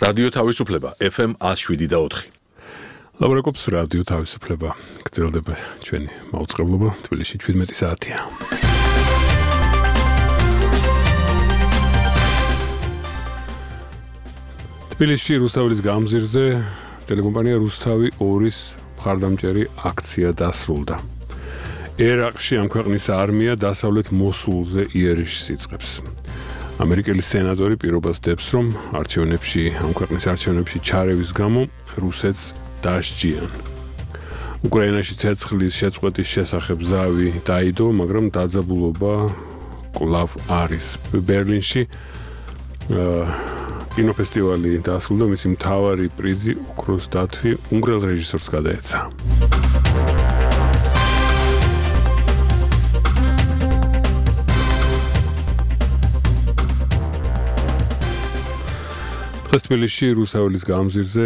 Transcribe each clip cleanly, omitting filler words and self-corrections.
რადიო თავისუფლება FM 107.4. ლაბრაკობს რადიო თავისუფლება. გრძელდება ჩვენი მაუწყებლობა თბილისში 17 საათია. თბილისში რუსთავის გამზირზე ტელეკომპანია რუსთავი 2-ის მხარდამჭერი აქცია დასრულდა. ერაყში ამ ქვეყნის არმია დასავლეთ მოსულზე იერიშს იწყებს. ამერიკელი სენატორი პირობას დებს, რომ ამ ქვეყნის არჩევნებში ჩარევის გამო რუსეთს დასჯიან. უკრაინაში ცეცხლის შეწყვეტის შესახებ ზავი დაიდო, მაგრამ დაძაბულობა კვლავ არის. ბერლინში კინოფესტივალი დასრულდა, მისი მთავარი პრიზი ოქროს დათვი უნგრელ რეჟისორს გადაეცა. თბილისში რუსთავის გამზირზე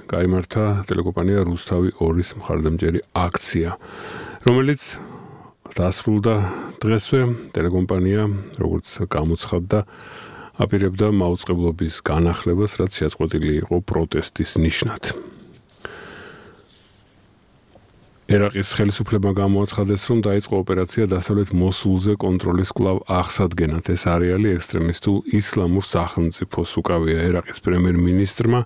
გაიმართა ტელეკომპანია რუსთავი 2-ის მხარდამჭერი აქცია, რომელიც დასრულდა დღესვე. ტელეკომპანია, როგორც გამოცხადდა, აპირებდა მაუწყებლობის განახლებას, რაც შეწყვეტილი იყო პროტესტის ნიშნად. ერაყის ხელისუფლებმა გამოაცხადეს, რომ დაიწყო ოპერაცია დასავლეთ მოსულზე კონტროლის კვლავ აღსადგენად. ეს არეალი ექსტრემისტულ ისლამურ სახელმწიფოს უკავია. ერაყის პრემიერ-მინისტრმა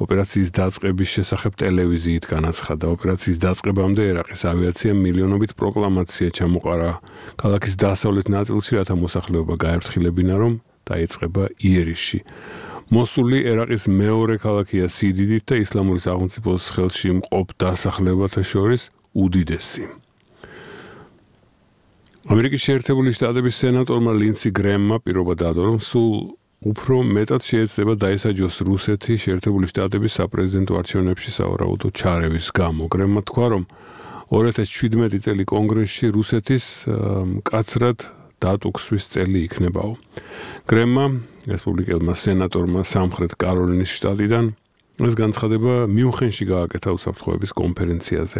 ოპერაციის დაწყების შესახებ ტელევიზიით განაცხადა. ოპერაციის დაწყებამდე ერაყის ავიაციამ მილიონობით პროკლამაცია ჩამოყარა ქალაქის დასავლეთ ნაწილში, რათა მოსახლეობა გაერთხილებინა, რომ დაიწყება იერიშში. მოსული ერაყის მეორე ქალაქია სიდიდით და ისლამური სახელმწიფოს ხელში მყოფ დასახლებათა შორის უდიდესი. ამერიკის შეერთებული შტატების სენატორმა ლინსი გრემმა პირობა დადო, რომ სულ უფრო მეტად შეეცდება დაესაჯოს რუსეთი შეერთებული შტატების საპრეზიდენტო არჩევნებში სავარაუდო ჩარევის გამო. გრემმა თქვა, რომ 2017 წელი კონგრესში რუსეთის მკაცრად დატუქსვის წელი იქნებაო. გრემმა, რესპუბლიკელმა სენატორმა სამხრეთ კაროლინის შტატიდან ეს განცხადება მიუნხენში გააკეთა უსაფრთხოების კონფერენციაზე.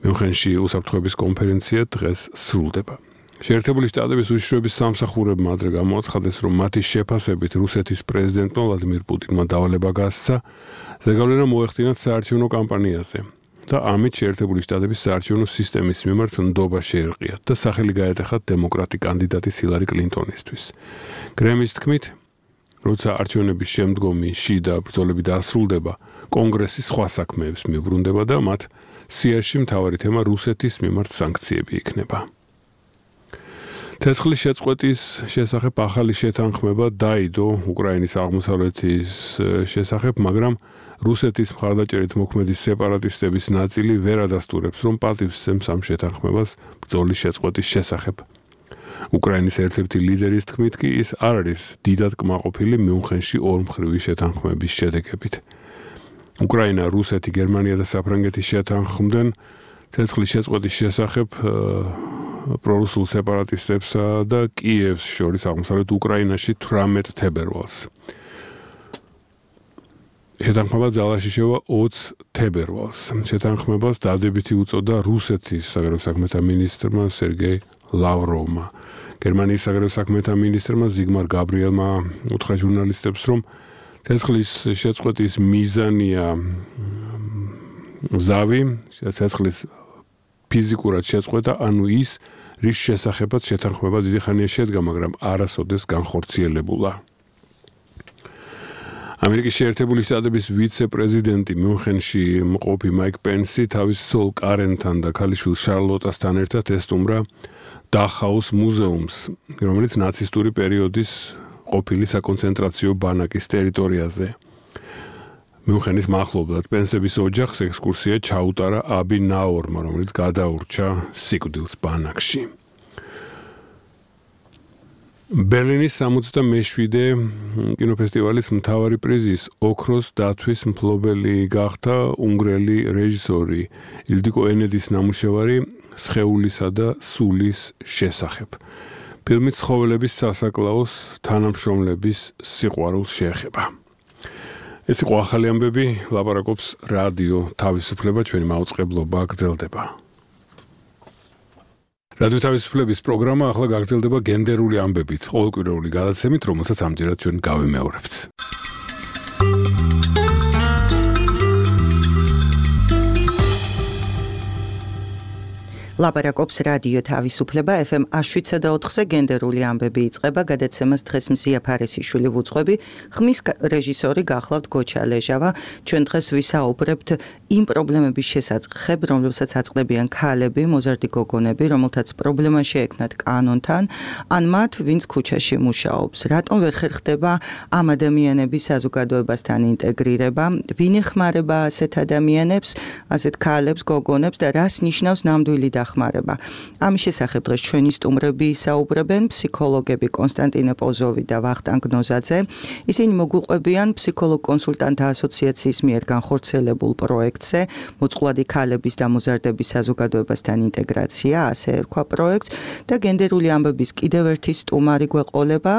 მიუნხენში უსაფრთხოების კონფერენცია დღეს სრულდება. შეერთებული შტატების უშიშროების სამსახურებმა ადრე გამოაცხადეს, რომ მათი შეფასებით რუსეთის პრეზიდენტმა ვლადიმირ პუტინმა დავალება გასცა ზეგავლენა მოეხდინათ საარჩევნო კამპანიაზე და ამით შეერთებული შტატების საარჩევნო სისტემის მიმართ ნდობა შეერყიათ და სახელი გაეტეხათ დემოკრატი კანდიდატის ჰილარი კლინტონისთვის. გრემის თქმით, როცა არჩევნების შემდგომი შიდა ბრძოლები დასრულდება, კონგრესი სხვა საქმეებს მიუბრუნდება და მათ სიაში მთავარი თემა რუსეთის მიმართ სანქციები იქნება. ცეცხლის შეწყვეტის შესახებ ახალი შეთანხმება დაიდო უკრაინის აღმოსავლეთის შესახებ, მაგრამ რუსეთის მხარდაჭერით მოქმედი სეპარატისტების ნაწილი ვერ ადასტურებს, რომ პატივს სცემს ამ შეთანხმებას ბრძოლის შეწყვეტის შესახებ. უკრაინის ერთ-ერთი ლიდერის თქმით კი ის არ არის დიდად კმაყოფილი მიუნხენში ორმხრივი შეთანხმების შედეგებით. უკრაინა, რუსეთი, გერმანია და საფრანგეთი შეთანხმდნენ ცეცხლის შეწყვეტის შესახებ პრორუსულ სეპარატისტებსა და კიევს შორის აღმოსავლეთ უკრაინაში 18 თებერვალს. შეთანხმება ძალაში შევა 20 თებერვალს. შეთანხმებას დადებითი უწოდა რუსეთის საგარეო საქმეთა მინისტრმა სერგეი ლავროვმა. გერმანიის საგარეო საქმეთა მინისტრმა ზიგმარ გაბრიელმა უთხრა ჟურნალისტებს, რომ ცეცხლის შეწყვეტის მიზანია ზავი, ცეცხლის ფიზიკურად შეწყვეტა, ანუ ის, რის შესახებაც შეთანხმება დიდი ხანია შედგა, მაგრამ არასოდეს განხორციელებულა. ამერიკის შეერთებული შტატების ვიცე-პრეზიდენტი მიუნხენში მყოფი მაიკ პენსი თავის ცოლ კარენთან და ქალიშვილ შარლოტასთან ერთად ესტუმრა დახაუს მუზეუმს, რომელიც ნაცისტური პერიოდის ყოფილი საკონცენტრაციო ბანაკის ტერიტორიაზე. მიუნხენის მახლობლად პენსების ოჯახს ექსკურსია ჩაუტარა აბი ნაორმა, რომელიც გადაურჩა სიკვდილს ბანაკში. ბერლინის 67-ე კინოფესტივალის მთავარი პრიზის ოქროს დათვის მფლობელი გახდა უნგრელი რეჟისორი ილდიკო ენედის ნამუშევარი სხეულისა და სულის შესახებ. ფილმი ცხოველების სასაკლაოს თანამშრომლების სიყვარულს შეეხება. ეს იყო ახალი ამბები, ლაპარაკობს რადიო თავისუფლება, ჩვენი მაუწყებლობა გრძელდება. რადიო თავისუფლების პროგრამა ახლა გაგრძელდება გენდერული ამბებით, ყოველკვირეული გადაცემით, რომელსაც ამჯერად ჩვენ გავიმეორებთ. ლაპარაკობს რადიო თავისუფლება FM 7.4-ზე გენდერული ამბები იწყება გადაცემას დღეს მზია ფარესიშვილი ვუძღვები ხმის რეჟისორი გახლავთ გოჩა ლეჟავა ჩვენ დღეს ვისაუბრებთ იმ პრობლემების შესაძღებ რომლებსაც აწყდებიან ქალები მოზარდი გოგონები რომელთაც პრობლემა შეექმნათ კანონთან ან მათ ვინც ქუჩაში მუშაობს რატომ ვერ ხერხდება ამ ადამიანების საზოგადოებასთან ინტეგრირება ვინ ეხმარება ასეთ ადამიანებს ასეთ ქალებს გოგონებს და რას ნიშნავს ნამდვილი დახმარება. ამის შესახებ დღეს ჩვენი სტუმრები ისაუბრებენ ფსიქოლოგები კონსტანტინე პოზოვი და ვახტანგ ნოზაძე. ისინი მოგვიყვებიან ფსიქოლოგ-კონსულტანტთა ასოციაციის მიერ განხორციელებულ პროექტზე მოწყვლადი ქალების და მოზარდების საზოგადოებასთან ინტეგრაცია, ასე ერქვა პროექტს და გენდერული ამბების კიდევ ერთი სტუმარი გვეყოლება.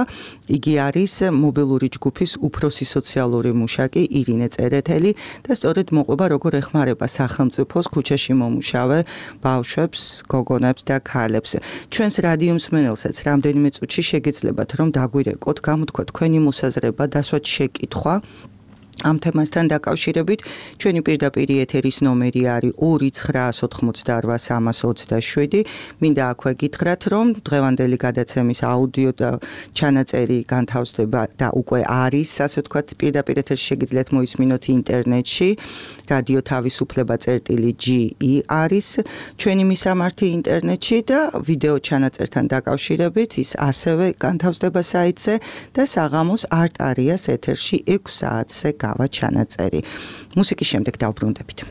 იგი არის მობილური ჯგუფის უფროსი სოციალური მუშაკი ირინე წერეთელი და სწორედ მოყვება როგორ ეხმარება სახელმწიფოს ქუჩაში მომუშავე ბავშვებს, გოგონებს და ქალებს. ჩვენს რადიო მსმენელსაც რამდენიმე წუთში შეგეძლებათ რომ დაგვირეკოთ, გამოთქვათ თქვენი მოსაზრება, დასვათ შეკითხვა. ამ თემასთან დაკავშირებით ჩვენი პირდაპირ ეთერის ნომერი არის 2988 მინდა აქვე გითხრათ რომ დღევანდელი გადაცემის აუდიო და ჩანაწერი განთავსდება და უკვე არის ასე ვთქვათ პირდაპირ ეთერში შეგიძლიათ მოისმინოთ ინტერნეტში რადიო თავისუფლება წერტილი.ge არის ჩვენი მისამართი ინტერნეტში და ვიდეო ჩანაწერთან დაკავშირებით ის ასევე განთავსდება საიტზე და საღამოს არტარიას ეთერში 6 საათზე გავა ჩანაწერი. მუსიკის შემდეგ დავბრუნდებით.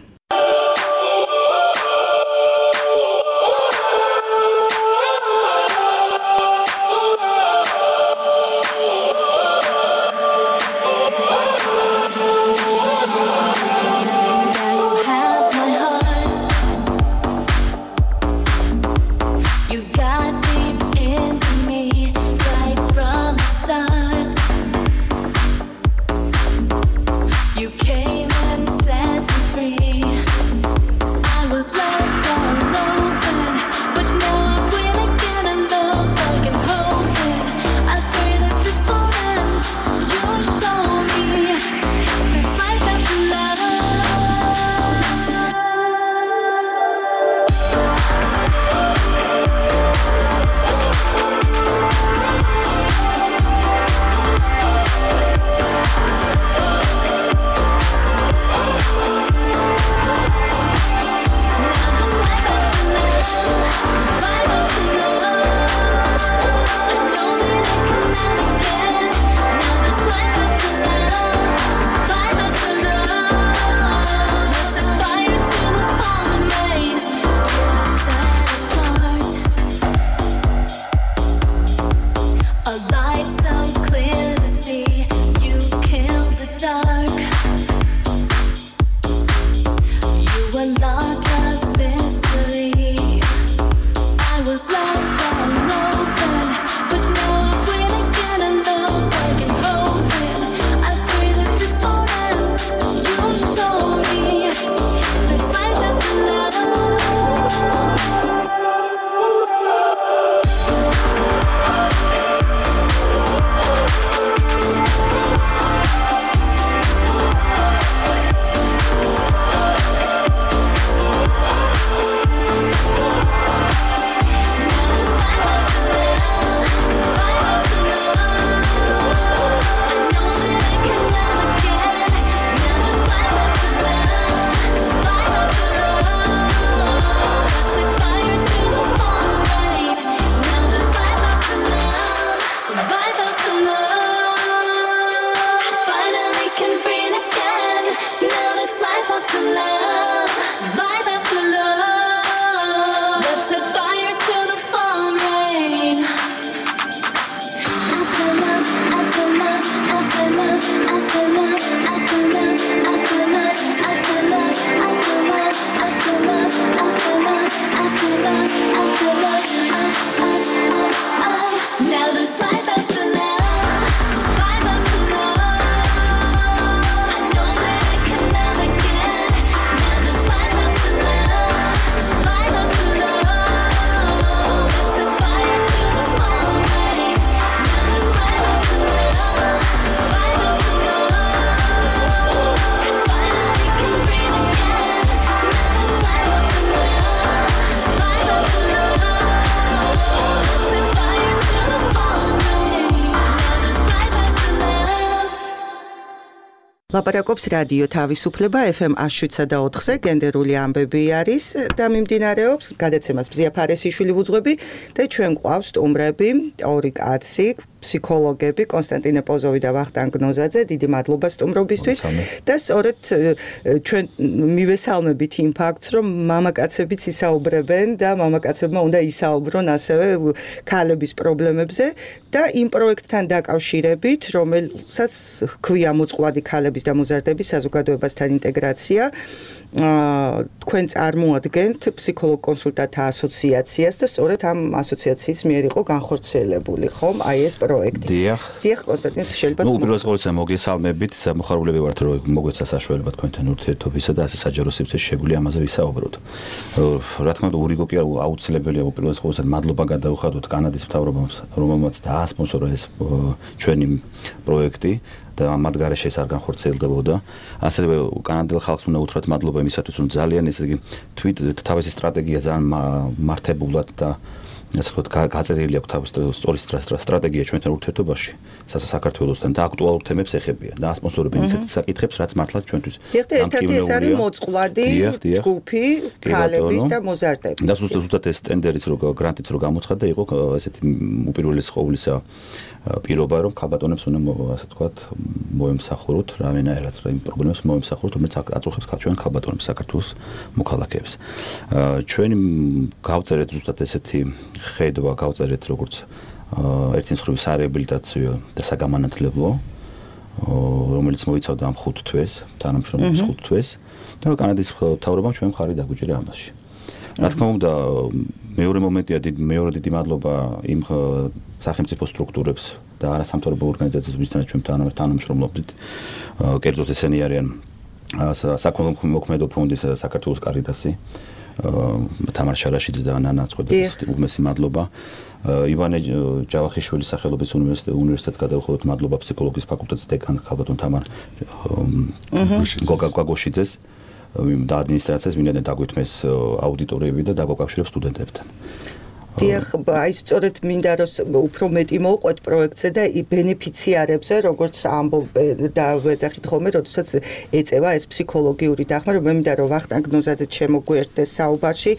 ლაპარაკობს რადიო თავისუფლება FM 107.4-ზე გენდერული ამბები არის და მიმდინარეობს გადაცემას ბზია ფარესიშვილი ვუძღვები და ჩვენ გვყავს სტუმრები, ორი კაცი, ფსიქოლოგები კონსტანტინე პოზოვი და ვახტანგ გნოზაძე, დიდი მადლობა სტუმრობისთვის და სწორედ ჩვენ მივესალმებით იმ ფაქტს, რომ მამაკაცებიც ისაუბრებენ და მამაკაცებმა უნდა ისაუბრონ ასევე ქალების პრობლემებზე და იმ პროექტთან დაკავშირებით, რომელსაც ჰქვია მოწყვლადი ქალების და მოზარდების საზოგადოებასთან ინტეგრაცია, თქვენ წარმოადგენთ ფსიქოლოგ კონსულტანტთა ასოციაციას და სწორედ ამ ასოციაციის მიერ იყო განხორციელებული, ხომ? აი ეს პროექტი. დიახ, კონსტანტინე, შეიძლება თუ უპირველეს ყოვლისა მოგესალმებით, მოხარულები ვართ, რომ მოგვეცა საშუალება თქვენთან ურთიერთობისა და ასე საჯარო სივრცეში შეგვიძლია ამაზე ვისაუბროთ. რა თქმა უნდა, ურიგო კი აუცილებელია უპირველეს ყოვლისა მადლობა გადაუხადოთ კანადის მთავრობამ, რომელმაც დაასპონსორა ეს ჩვენი პროექტი. და მათ გარეშე ეს არ განხორციელდებოდა. ასევე კანადელ ხალხს უნდა უთხრათ მადლობა იმისათვის, რომ ძალიან ესე იგი თავისი სტრატეგია ძალიან მართებულად და ასე ვთქვათ გაწერილი აქვს თავის სწორი სტრატეგია ჩვენთან ურთიერთობაში საქართველოსთან და აქტუალურ თემებს ეხებიან და ასპონსორებენ ისეთ საკითხებს, რაც მართლაც ჩვენთვის ერთ-ერთი ეს არის მოწყვლადი ჯგუფი ქალების და მოზარდების. და ზუსტად ეს ტენდერიც რო გრანტიც რო გამოცხადდა, იყო ესეთი უპირველეს ყოვლისა პირობა, რომ ქალბატონებს უნდა ასე ვთქვათ მოემსახუროთ რავენაერად იმ პრობლემებს მოემსახუროთ, რომელიც აწუხებს ჩვენ ქალბატონებს საქართველოს მოქალაქეებს. ჩვენი გავწერეთ ზუსტად ესეთი ხედვა გავწერეთ როგორც ერთი მსხვილი სარეაბილიტაციო და საგამანათლებლო, რომელიც მოიცავდა ამ 5 თვეს, თანამშრომლობის 5 თვეს და კანადის მთავრობამ ჩვენ მხარი დაგვიჭირა ამაში. რა თქმა უნდა, მეორე მომენტია მეორე დიდი მადლობა იმ სახელმწიფო სტრუქტურებს და არასამთავრობო ორგანიზაციებს, ვისთანაც ჩვენ თანამშრომლობდით. კერძოდ ესენი არიან საკონმოქმედო ფონდის საქართველოს კარიტასი, თამარ შარაშიძე და ნანა წყვეტელის უმეტესი მადლობა. ივანე ჯავახიშვილის სახელობის უნივერსიტეტს გადავხადოთ მადლობა ფსიქოლოგიის ფაკულტეტის დეკან ქალბატონ თამარ გოგოშიძეს და ადმინისტრაციას, ვინაიდან დაგვითმეს აუდიტორიები და დაგვაკავშირებს სტუდენტებთან. დიახ, აი სწორედ მინდა რომ უფრო მეტი მოვყვეთ პროექტზე და ბენეფიციარებზე, როგორც ამბობ და ვეძახით ხოლმე, როდესაც ეწევა ეს ფსიქოლოგიური დახმა, რომ მე მინდა რომ ვახტანგ გნოზაძე შემოგვიერთდეს საუბარში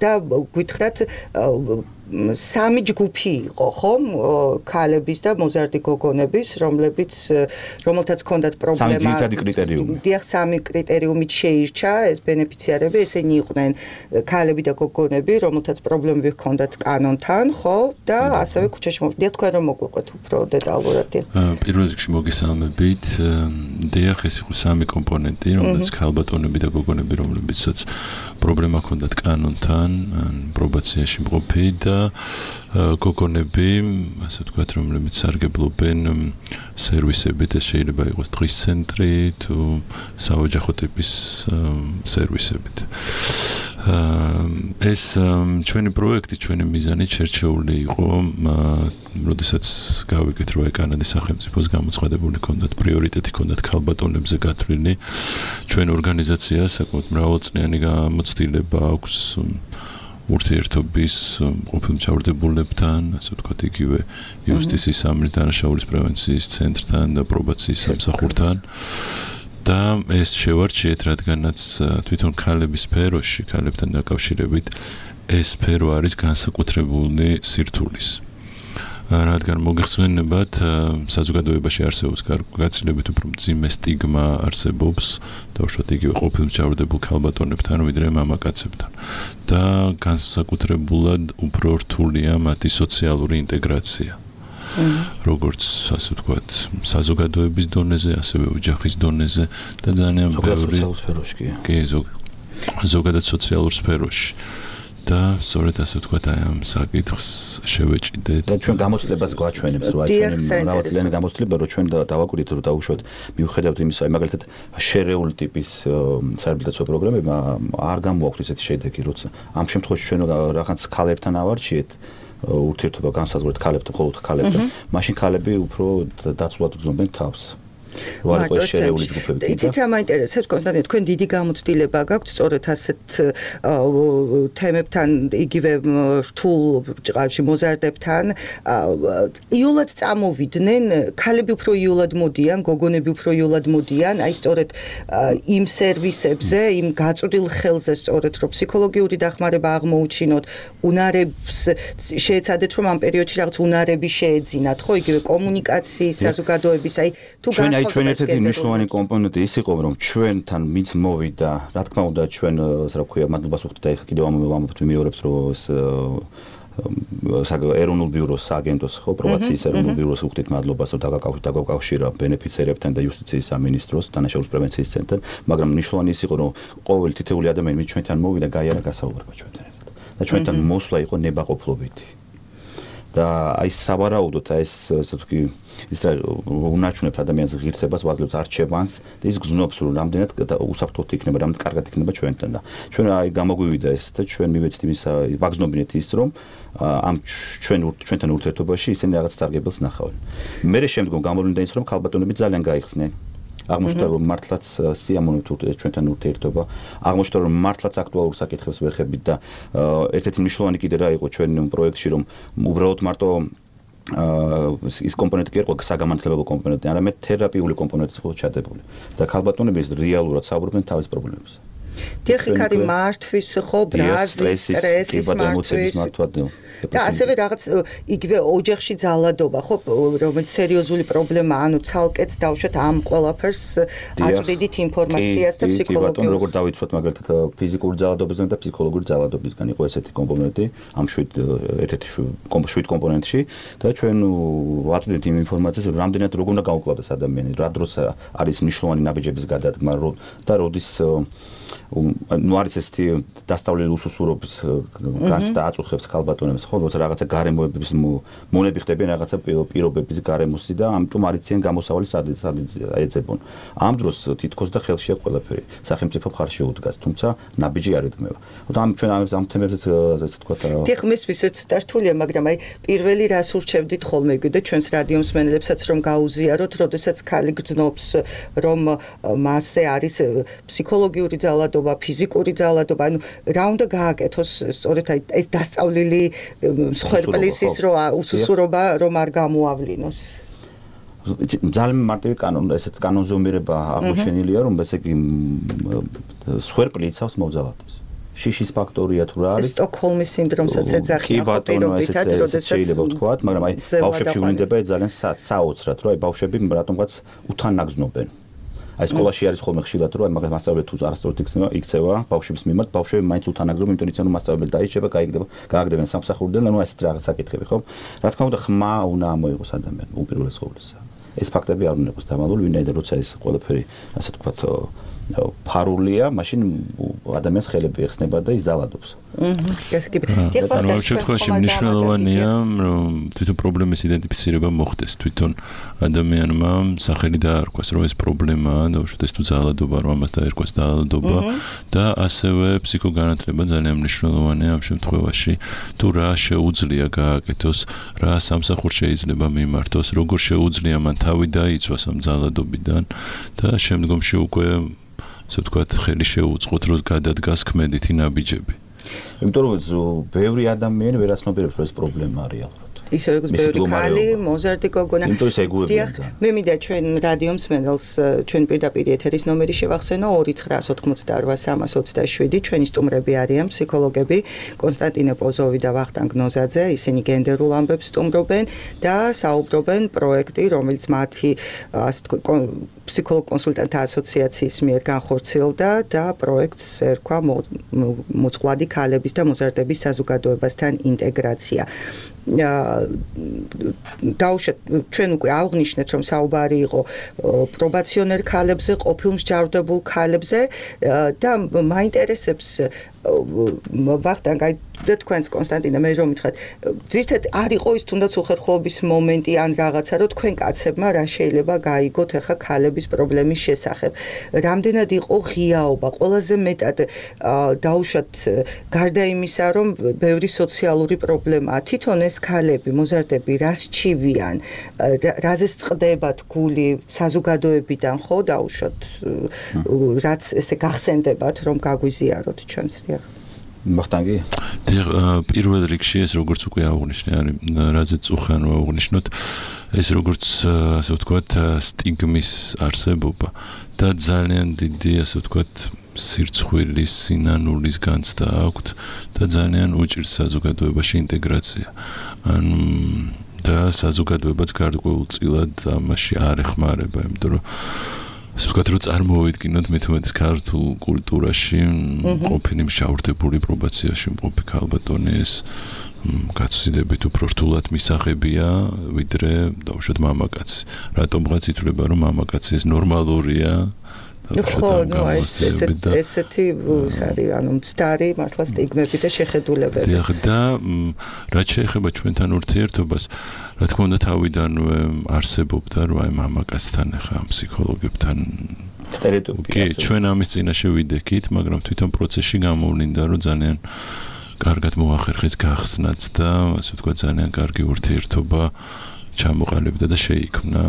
და გითხრათ სამი ჯგუფი იყო, ხომ? ქალების და მოზარდი გოგონების, რომელთაც ჰქონდათ პრობლემა. სამი ძირითადი კრიტერიუმი. დიახ, სამი კრიტერიუმით შეირჩა ეს ბენეფიციარები, ესენი იყვნენ ქალები და გოგონები, რომელთაც პრობლემები ჰქონდათ კანონთან, ხო? და ასევე ქუჩაში მოვიდეთ, თქვენ რომ მოგვიყვეთ უფრო დეტალურად. პირველ რიგში მოგესალმებით. დიახ, ეს იყო სამი კომპონენტი, რომელთაც ქალბატონები და გოგონები, რომლებიცაც პრობლემა ჰქონდათ კანონთან, პრობაციაში მყოფი და გოგონები, ასე ვთქვათ, რომლებიც სარგებლობენ სერვისებით, ეს შეიძლება იყოს დღის ცენტრი თუ საოჯახო ტიპის სერვისებით. ეს ჩვენი პროექტი, ჩვენი მიზანი შერჩეული იყო, როდესაც გავიგეთ, რომ კანადის სახელმწიფოს გამოცხადებული ჰქონდათ პრიორიტეტი ჰქონდათ ქალბატონებზე გათვლილი. ჩვენ ორგანიზაციას საკმაოდ მრავალწლიანი გამოცდილება აქვს ურთიერთობის ყოფილ მთავრდებულებთან, ასე ვთქვათ, იგივე იუსტიციის სამართლის დანაშაულის პრევენციის ცენტრთან და პრობაციის სამსახურთან. და ეს შევარჩიეთ, რადგანაც თვითონ ქალების სფეროში, ქალებთან დაკავშირებით ეს სფერო არის განსაკუთრებული სირთულის. რადგან მოგეხსენებათ, საზოგადოებაში არსებობს გაცილებით უფრო მძიმე სტიგმა არსებობს და უშუალოდ იგივე ყოფილ მთავრდებულ ქალბატონებთან, ვიდრე მამაკაცებთან. და განსაკუთრებულად უფრო რთულია მათი სოციალური ინტეგრაცია. როგორც ასე ვთქვათ, საზოგადოების დონეზე, ასევე ოჯახის დონეზე და ძალიან ბევრი ზოგადად სოციალურ სფეროში. და სწორედ ასე ვთქვათ, აი ამ საკითხს შევეჭიდეთ. და ჩვენ გამოცდილებას გვაჩვენებს, რომ აი ჩვენი მრავალწლიანი გამოცდილება, რომ ჩვენ დავაკვირდით, რომ დაუშვათ მიუხედავად იმისა, აი მაგალითად შერეული ტიპის საერთაშორისო პროგრამებმა არ გამოაქვთ ესეთი შედეგი, როცა ამ შემთხვევაში ჩვენ რაღაც ქალებთან ავარჩიეთ ურთიერთობა განსაზღვრეთ ქალებთან, მხოლოდ ქალებთან, მაშინ ქალები უფრო დაცულად გრძნობენ თავს. იყო შერეული ჯგუფები. იცით რა მაინტერესებს კონსტანტინე, თქვენ დიდი გამოცდილება გაქვთ სწორედ ასეთ თემებთან, იგივე რთულ ჭყავში მოზარდებთან. იულად წამოვიდნენ, ქალები უფრო იულად მოდიან, გოგონები უფრო იულად მოდიან, აი სწორედ იმ სერვისებზე, იმ გაწვდილ ხელზე სწორედ რომ ფსიქოლოგიური დახმარება აღმოუჩინოთ, უნარებს შეეცადეთ რომ ამ პერიოდში რაღაც უნარები შეეძინათ, ხო, იგივე კომუნიკაციის, საზოგადოების, აი თუ ჩვენ ერთ-ერთი მნიშვნელოვანი კომპონენტი ის იყო, რომ ჩვენთან მიც მოვიდა, რა თქმა უნდა, ჩვენ, რა ქვია, მადლობას ვუხდით და ეხლა კიდევ ამბობთ მიმეორებთ, რომ ეს ეროვნულ ბიუროს სააგენტოს ხო პრობაციის ეროვნულ ბიუროს ვუხდით მადლობას, რომ დაგაკავშირა ბენეფიციერებთან და იუსტიციის სამინისტროს დანაშაულის პრევენციის ცენტრთან, მაგრამ მნიშვნელოვანი ის იყო, რომ ყოველი თითოეული ადამიანი მით ჩვენთან მოვიდა, გაიარა გასაუბრება ჩვენთან ერთად. და ჩვენთან მოსვლა იყო ნებაყოფლობითი. და აი სავარაუდოდ ეს ასე ვთქვი ის რა უნარჩუნებს ადამიანის ღირსებას, ვაძლევს არჩევანს და ის გზნობს რომ რამდენად უსაფრთხოდ იქნება, რამდენად კარგად იქნება ჩვენთან და ჩვენ აი გამოგვივიდა ეს და ჩვენ მივეცდით იმის ვაგზნობინეთ ის რომ ამ ჩვენთან ურთიერთობაში ისინი რაღაც წარგებელს ნახავენ. მე შემდგომ გამოვლინდა ის რომ ქალბატონები ძალიან გაიხსნენ. აღმოჩნდა რომ მართლაც სიამოვნებთ ჩვენთან ურთიერთობა, აღმოჩნდა რომ მართლაც აქტუალურ საკითხებს ვეხებით და ერთ-ერთი მნიშვნელოვანი კიდე რა იყო ჩვენ პროექტში რომ უბრალოდ მარტო ის კომპონენტი კი იყო საგამართლებელო კომპონენტი, არამედ თერაპიული კომპონენტიც იყო ჩადებული და ქალბატონები რეალურად საუბრობენ თავის პრობლემებზე. ტექნიკარი მართვის ხო ბრაზის სტრესის მართვის და ასევე რაღაც იგივე ოჯახში ძალადობა ხო რომელიც სერიოზული პრობლემა ანუ ცალკეც დავუშვათ ამ ყველაფერს აწვდიდით ინფორმაციას და ფსიქოლოგიურ როგორ დავიცვათ მაგალითად ფიზიკური ძალადობისგან და ფსიქოლოგიური ძალადობისგან იყო ესეთი კომპონენტი ამ ერთ-ერთი კომპონენტში და ჩვენ ვაწვდით იმ ინფორმაციას რამდენად როგორ უნდა გაუკლავდეს ადამიანი რა დროს არის მნიშვნელოვანი ნაბიჯების გადადგმა და როდის ნუ არის ესეთი დასწავლელი უსუსურობის განცდა აწუხებს ქალბატონებს ხო როცა რაღაცა გარემოების მონები ხდებიან რაღაცა პირობების გარემოსი და ამიტომ არიციან გამოსავალი სადაც ეძებონ ამ დროს თითქოს და ხელშია ყველაფერი სახელმწიფო მხარში უდგას თუმცა ნაბიჯი არ ედგმება ამ ჩვენ ამ თემებზეც ასე თქვა დიახ მესმისეთ დართულია მაგრამ აი პირველი რას ურჩევდით ხოლმე და ჩვენს რადიო მსმენელებსაც რომ გაუზიაროთ როდესაც ქალი გძნობს რომ მასზე არის ფსიქოლოგიური ძალადობა ფიზიკური ძალადობა, ანუ რა უნდა გააკეთოს სწორედ ეს დასწავლილი მსხვერპლის ის უსუსურობა რომ არ გამოავლინოს. ძალიან მარტივი კანონი, ესეთ კანონზომიერება აღმოჩენილია, რომ ესე იგი მსხვერპლი იცავს მოვძალადებას. შიშის ფაქტორია თუ რა არის? სტოკჰოლმის სინდრომსაც ეძახიან ხო პირობითად, როდესაც შეიძლება ვთქვათ, მაგრამ აი ბავშვებში ვლინდება ძალიან საოცრად, რომ აი ბავშვები რატომღაც უთანაგზნობენ. აი სკოლაში არის ხოლმე ხშირად რომ მაგას მასწავლებელი თუ არასწორად იქცევა ბავშვების მიმართ ბავშვები მაინც უთანაგზობენ იმიტომ რომ მასწავლებელი დაიჭება გააგდებენ სამსახურიდან ანუ ესეთ რაღაც საკითხები ხო რა თქმა უნდა ხმა უნდა ამოიღოს ადამიანი უპირველეს ყოვლისა ეს ფაქტები არ უნდა იყოს დამალული ვინაიდან როცა ეს ყველაფერი ასე თქვა ფარულია მაშინ ადამიანს ხელები ეხსნება და ის ძალადობს ანუ შემთხვევაში მნიშვნელოვანია რომ თვითონ პრობლემის იდენტიფიცირება მოხდეს თვითონ ადამიანმა სახელი დაარქვას რომ ეს პრობლემაა და უშუალოდ ეს თუ ძალადობა რომ ამას დაერქვას ძალადობა და ასევე ფსიქოგანათლება ძალიან მნიშვნელოვანია ამ შემთხვევაში თუ რა შეუძლია გააკეთოს რა სამსახურ შეიძლება მიმართოს როგორ შეუძლია მან თავი დაიცვას ამ ძალადობიდან და შემდგომში უკვე ასე ვთქვათ ხელი შეუწყოთ რომ გადადგას ქმედითი ნაბიჯები იმიტომ რომ ბევრი ადამიანი ვერ აცნობიერებს რომ ეს პრობლემაა რეალურად ისე როგორც ბევრი ქალი მოზარდი გოგონა დიახ მე მინდა ჩვენ რადიო მსმენელს ჩვენ პირდაპირ ეთერის ნომერი შევახსენო 2988327 ჩვენი სტუმრები არიან ფსიქოლოგები კონსტანტინე პოზოვი და ვახტანგ ნოზაძე ისინი გენდერულ ამბებს სტუმრობენ და საუბრობენ პროექტი რომელიც მათი ასე თქვა ფსიქოლოგ კონსულტანტთა ასოციაციის მიერ განხორციელდა და პროექტს ერქვა მოწყვლადი ქალების და მოზარდების საზოგადოებასთან ინტეგრაცია დავუშვათ ჩვენ უკვე აღნიშნეთ რომ საუბარი იყო პრობაციონერ ქალებზე, ყოფილ მსჯავრდებულ ქალებზე და მაინტერესებს ვახტანგ აი და თქვენს კონსტანტინა მე რომ მითხრათ ზირთად არ იყო ის თუნდაც უხერხულობის მომენტი ან რაღაცა რომ თქვენ კაცებმა რა შეიძლება გაიგოთ ახლა ქალების პრობლემის შესახებ რამდენად იყო ღიაობა ყველაზე მეტად დაუშვათ გარდა იმისა რომ ბევრი სოციალური პრობლემაა თვითონ ეს ქალები მოზარდები რას ჩივიან რაზე წყდებათ გული საზოგადოებიდან ხო დაუშვათ რაც ესე გახსენდებათ რომ გაგვიზიაროთ ჩვენს დიახ მახტანგი პირველ რიგში ეს როგორც უკვე აღნიშნე არის რაზეც უხან აღნიშნოთ ეს როგორც ასე ვთქვათ სტიგმის არსებობა და ძალიან დიდი ასე ვთქვათ სირცხვილის სინანულის განცდა აქვთ და ძალიან უჭირს საზოგადოებაში ინტეგრაცია ანუ და საზოგადოებაც გარკვეულწილად ამაში არ ეხმარება იმიტომ რომ ასე ვთქვათ რომ წარმოვიდგინოთ მithumetes ქართულ კულტურაში ყოფილი მშაურდებული პრობაციაში მყოფი ქალბატონი ეს გაცილებით უფრო რთულად მისაღებია ვიდრე დაუშვათ მამაკაცი რატომღაც ითვლება რომ მამაკაცი ეს ნორმალურია ხო, ნუ ესეთი არის, ანუ მცდარი მართლა სტიგმები და შეხედულებები. დიახ, და რაც შეეხება ჩვენთან ურთიერთობას, რა თქმა უნდა თავიდანვე არსებობდა, რომ აი მამაკაცთან ახლა ფსიქოლოგებთან სტერეოტიპი. კი, ჩვენ ამის წინაშე ვიდექით, მაგრამ თვითონ პროცესში გამოვლინდა, რომ ძალიან კარგად მოახერხეს გახსნაც და ასე ვთქვათ, ძალიან კარგი ურთიერთობა ჩამოყალიბდა და შეიქმნა.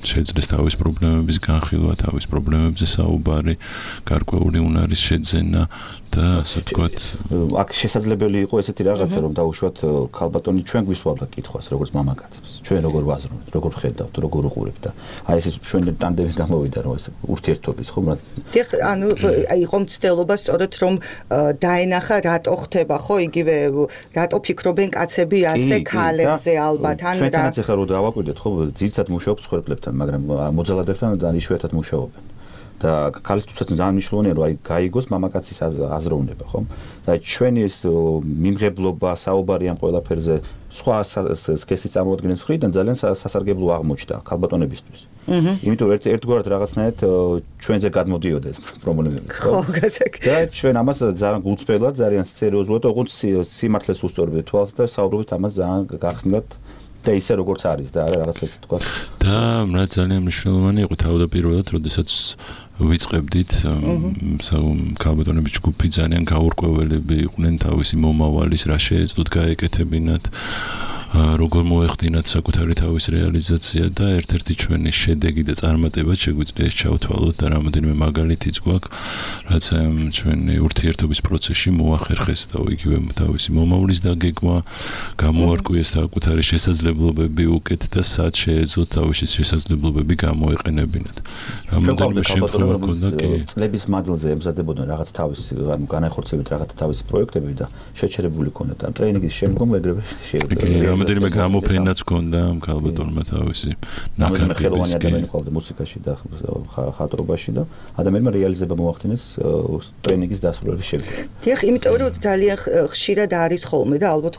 შეძლეს თავის პრობლემების განხილვა, თავის პრობლემებზე საუბარი, გარკვეული უნარის შეძენა და ასე ვთქვათ, აქ შესაძლებელი იყო ესეთი რაღაცა, რომ დაუშვათ ქალბატონი ჩვენ გვისვავდა კითხვას, როგორც მამაკაცებს. ჩვენ როგორ ვაზრობთ, როგორ ხედავთ, როგორ უყურებთ და აი ეს ჩვენ ტანდემი გამოვიდა, რომ ეს ურთიერთობის ხო, დიახ, ანუ იყო მცდელობა სწორედ რომ დაენახა რატო ხდება, ხო, იგივე რატო ფიქრობენ კაცები ასე ქალებზე ალბათ ან რა. ჩვენთანაც ახლა რო დავაკვირდეთ, ხო, ძირითადად მუშაობს ხვერპლებთან, მაგრამ მოძალადებთან ძალიან იშვიათად მუშაობენ. და ქალისთვისაც ძალიან მნიშვნელოვანია რომ აი გაიგოს მამაკაცის აზროვნება ხო და ჩვენი ეს მიმღებლობა საუბარი ამ ყველაფერზე სხვა სქესის წარმოადგენის მხრიდან ძალიან სასარგებლო აღმოჩნდა ქალბატონებისთვის იმიტომ ერთგვარად რაღაცნაირად ჩვენზე გადმოდიოდა ეს პრობლემები ხო და ჩვენ ამას ძალიან გულწრფელად ძალიან სერიოზულად ოღონდ სიმართლეს უსწორებთ თვალს და საუბრობთ ამას ძალიან გახსნილად და ისე როგორც არის და არა რაღაც ესე თქვა და რა ძალიან მნიშვნელოვანი იყო თავდაპირველად როდესაც ვიწყებდით ქალბატონების ჯგუფი ძალიან გაურკვეველები იყვნენ თავისი მომავალის რა შეეძლოთ გაეკეთებინათ როგორ მოეხდინათ საკუთარი თავის რეალიზაცია და ერთ-ერთი ჩვენი შედეგი და წარმატება შეგვიძლია ეს ჩავთვალოთ და რამოდენიმე მაგალითიც გვაქვს რაც ჩვენი ურთიერთობის პროცესში მოახერხეს და იგივე თავისი მომავლის დაგეგმა გამოარკვიეს საკუთარი შესაძლებლობები უკეთ და სად შეეძლოთ თავისი შესაძლებლობები გამოეყენებინათ რამოდენიმე შემთხვევა ჰქონდა კი წლების მანძილზე ემზადებოდნენ რაღაც თავისი განახორციელებით რაღაც თავისი პროექტები და შეჩერებული ჰქონდათ და ტრეინინგის შემდგომ ეგრევე შეიძლება რამოდენიმე გამოფენაც ჰქონდა ქალბატონმა თავისი ნაკრები ხელოვანი ადამიანი ყავდა მუსიკაში და ხატრობაში და ადამიანმა რეალიზება მოახდინეს ტრეინინგის დასრულების შემდეგ. დიახ, იმიტომ რომ ძალიან ხშირად არის ხოლმე და ალბათ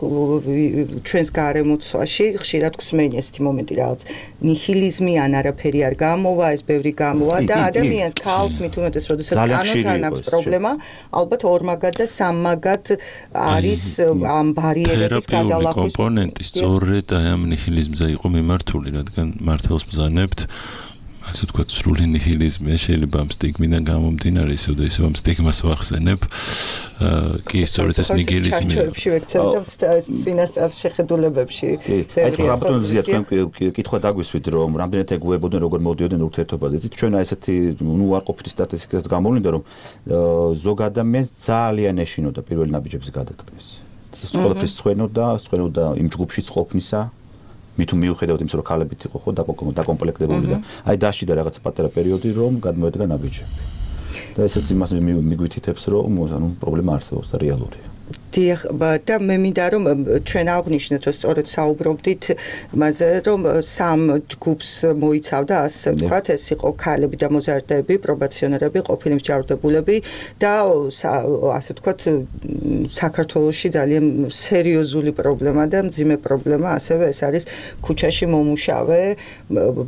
ჩვენს გარემოცვაში ხშირად გვსმენია ესეთი მომენტი რაღაც ნიჰილიზმი ან არაფერი არ გამოვა, ეს ბევრი გამოვა და ადამიანს ქალს მithumetes როდესაც კანონთან აქვს პრობლემა, ალბათ ორმაგად და სამმაგად არის ამ ბარიერების გადალახვის კომპონენტი სწორედ აი ამ ნიჰილიზმზე იყო მიმართული, რადგან მართალს ბრძანებთ ასე ვთქვათ, სრული ნიჰილიზმია შეიძლება ამ სტიგმიდან გამომდინარე ისევ და ისევ ამ სტიგმას ვახსენებ. კი, სწორედ ეს ნიჰილიზმი. წინასწარ შეხედულებებში. აი, რაბატონზე თქვენ კითხვა დაგვისვით, რომ რამდენად ეგუებოდნენ, როგორ მოდიოდნენ ურთიერთობაზე. იცით, ჩვენ აი ესეთი უარყოფითი სტატისტიკაც გამოვლინდა, რომ ზოგ ადამიანს ძალიან ეშინოდა პირველი ნაბიჯების გადადგმის. ყველაფერს სხვენოდა იმ ჯგუფშიც ყოფნისა მითუ მიუხედავად იმისა რომ ქალებიც იყო ხო დაკომპლექტებული და აი დაშიდა რაღაცა პატარა პერიოდი რომ გადმოედგა ნაბიჯები და ესეც იმას მიგვითითებს რომ ანუ პრობლემა არსებობს და რეალურია და მე მინდა რომ ჩვენ აღვნიშნეთ რომ სწორედ საუბრობდით მასზე რომ სამ ჯგუფს მოიცავდა ასე ვთქვათ ეს იყო ქალები და მოზარდები პრობაციონერები ყოფილი მსჯავრდებულები და ასე ვთქვათ საქართველოში ძალიან სერიოზული პრობლემა და მძიმე პრობლემა ასევე ეს არის ქუჩაში მომუშავე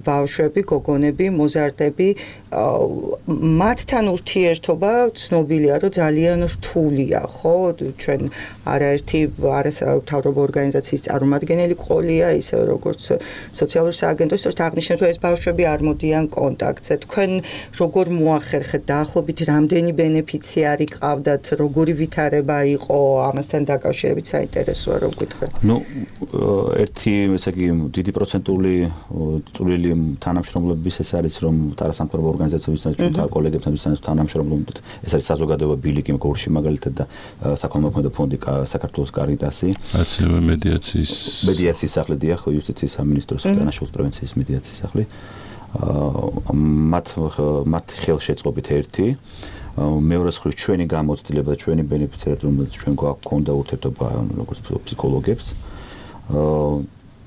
ბავშვები გოგონები მოზარდები მათთან ურთიერთობა ცნობილია რომ ძალიან რთულია ხო ჩვენ არაერთი არასამთავრობო ორგანიზაციის წარმომადგენელი ყოლია ისე როგორც სოციალური სააგენტო სწორედ აღნიშნეთ რომ ეს ბავშვები არ მოდიან კონტაქტზე თქვენ როგორ მოახერხეთ დაახლოებით რამდენი ბენეფიციარი ყავდათ როგორი ვითარება იყო ამასთან დაკავშირებით საინტერესოა რომ გითხრათ ნუ ერთი ესე იგი დიდი პროცენტული წვლილი თანამშრომლობის ეს არის რომ არასამთავრობო ორგანიზაციებთან ჩვენ კოლეგებთან თანამშრომლობთ ეს არის საზოგადოება ბილიკი გორში მაგალითად და საქველმოქმედო ფონდი საქართველოს კარიტასი ასევე მედიაციის სახლი დიახ იუსტიციის სამინისტროს დანაშაულის პრევენციის მედიაციის სახლი მათ ხელშეწყობით ერთი მეორე მხრივ ჩვენი გამოცდილება და ჩვენი ბენეფიციარები რომელსაც ჩვენ გვაქვს ურთიერთობა როგორც ფსიქოლოგებს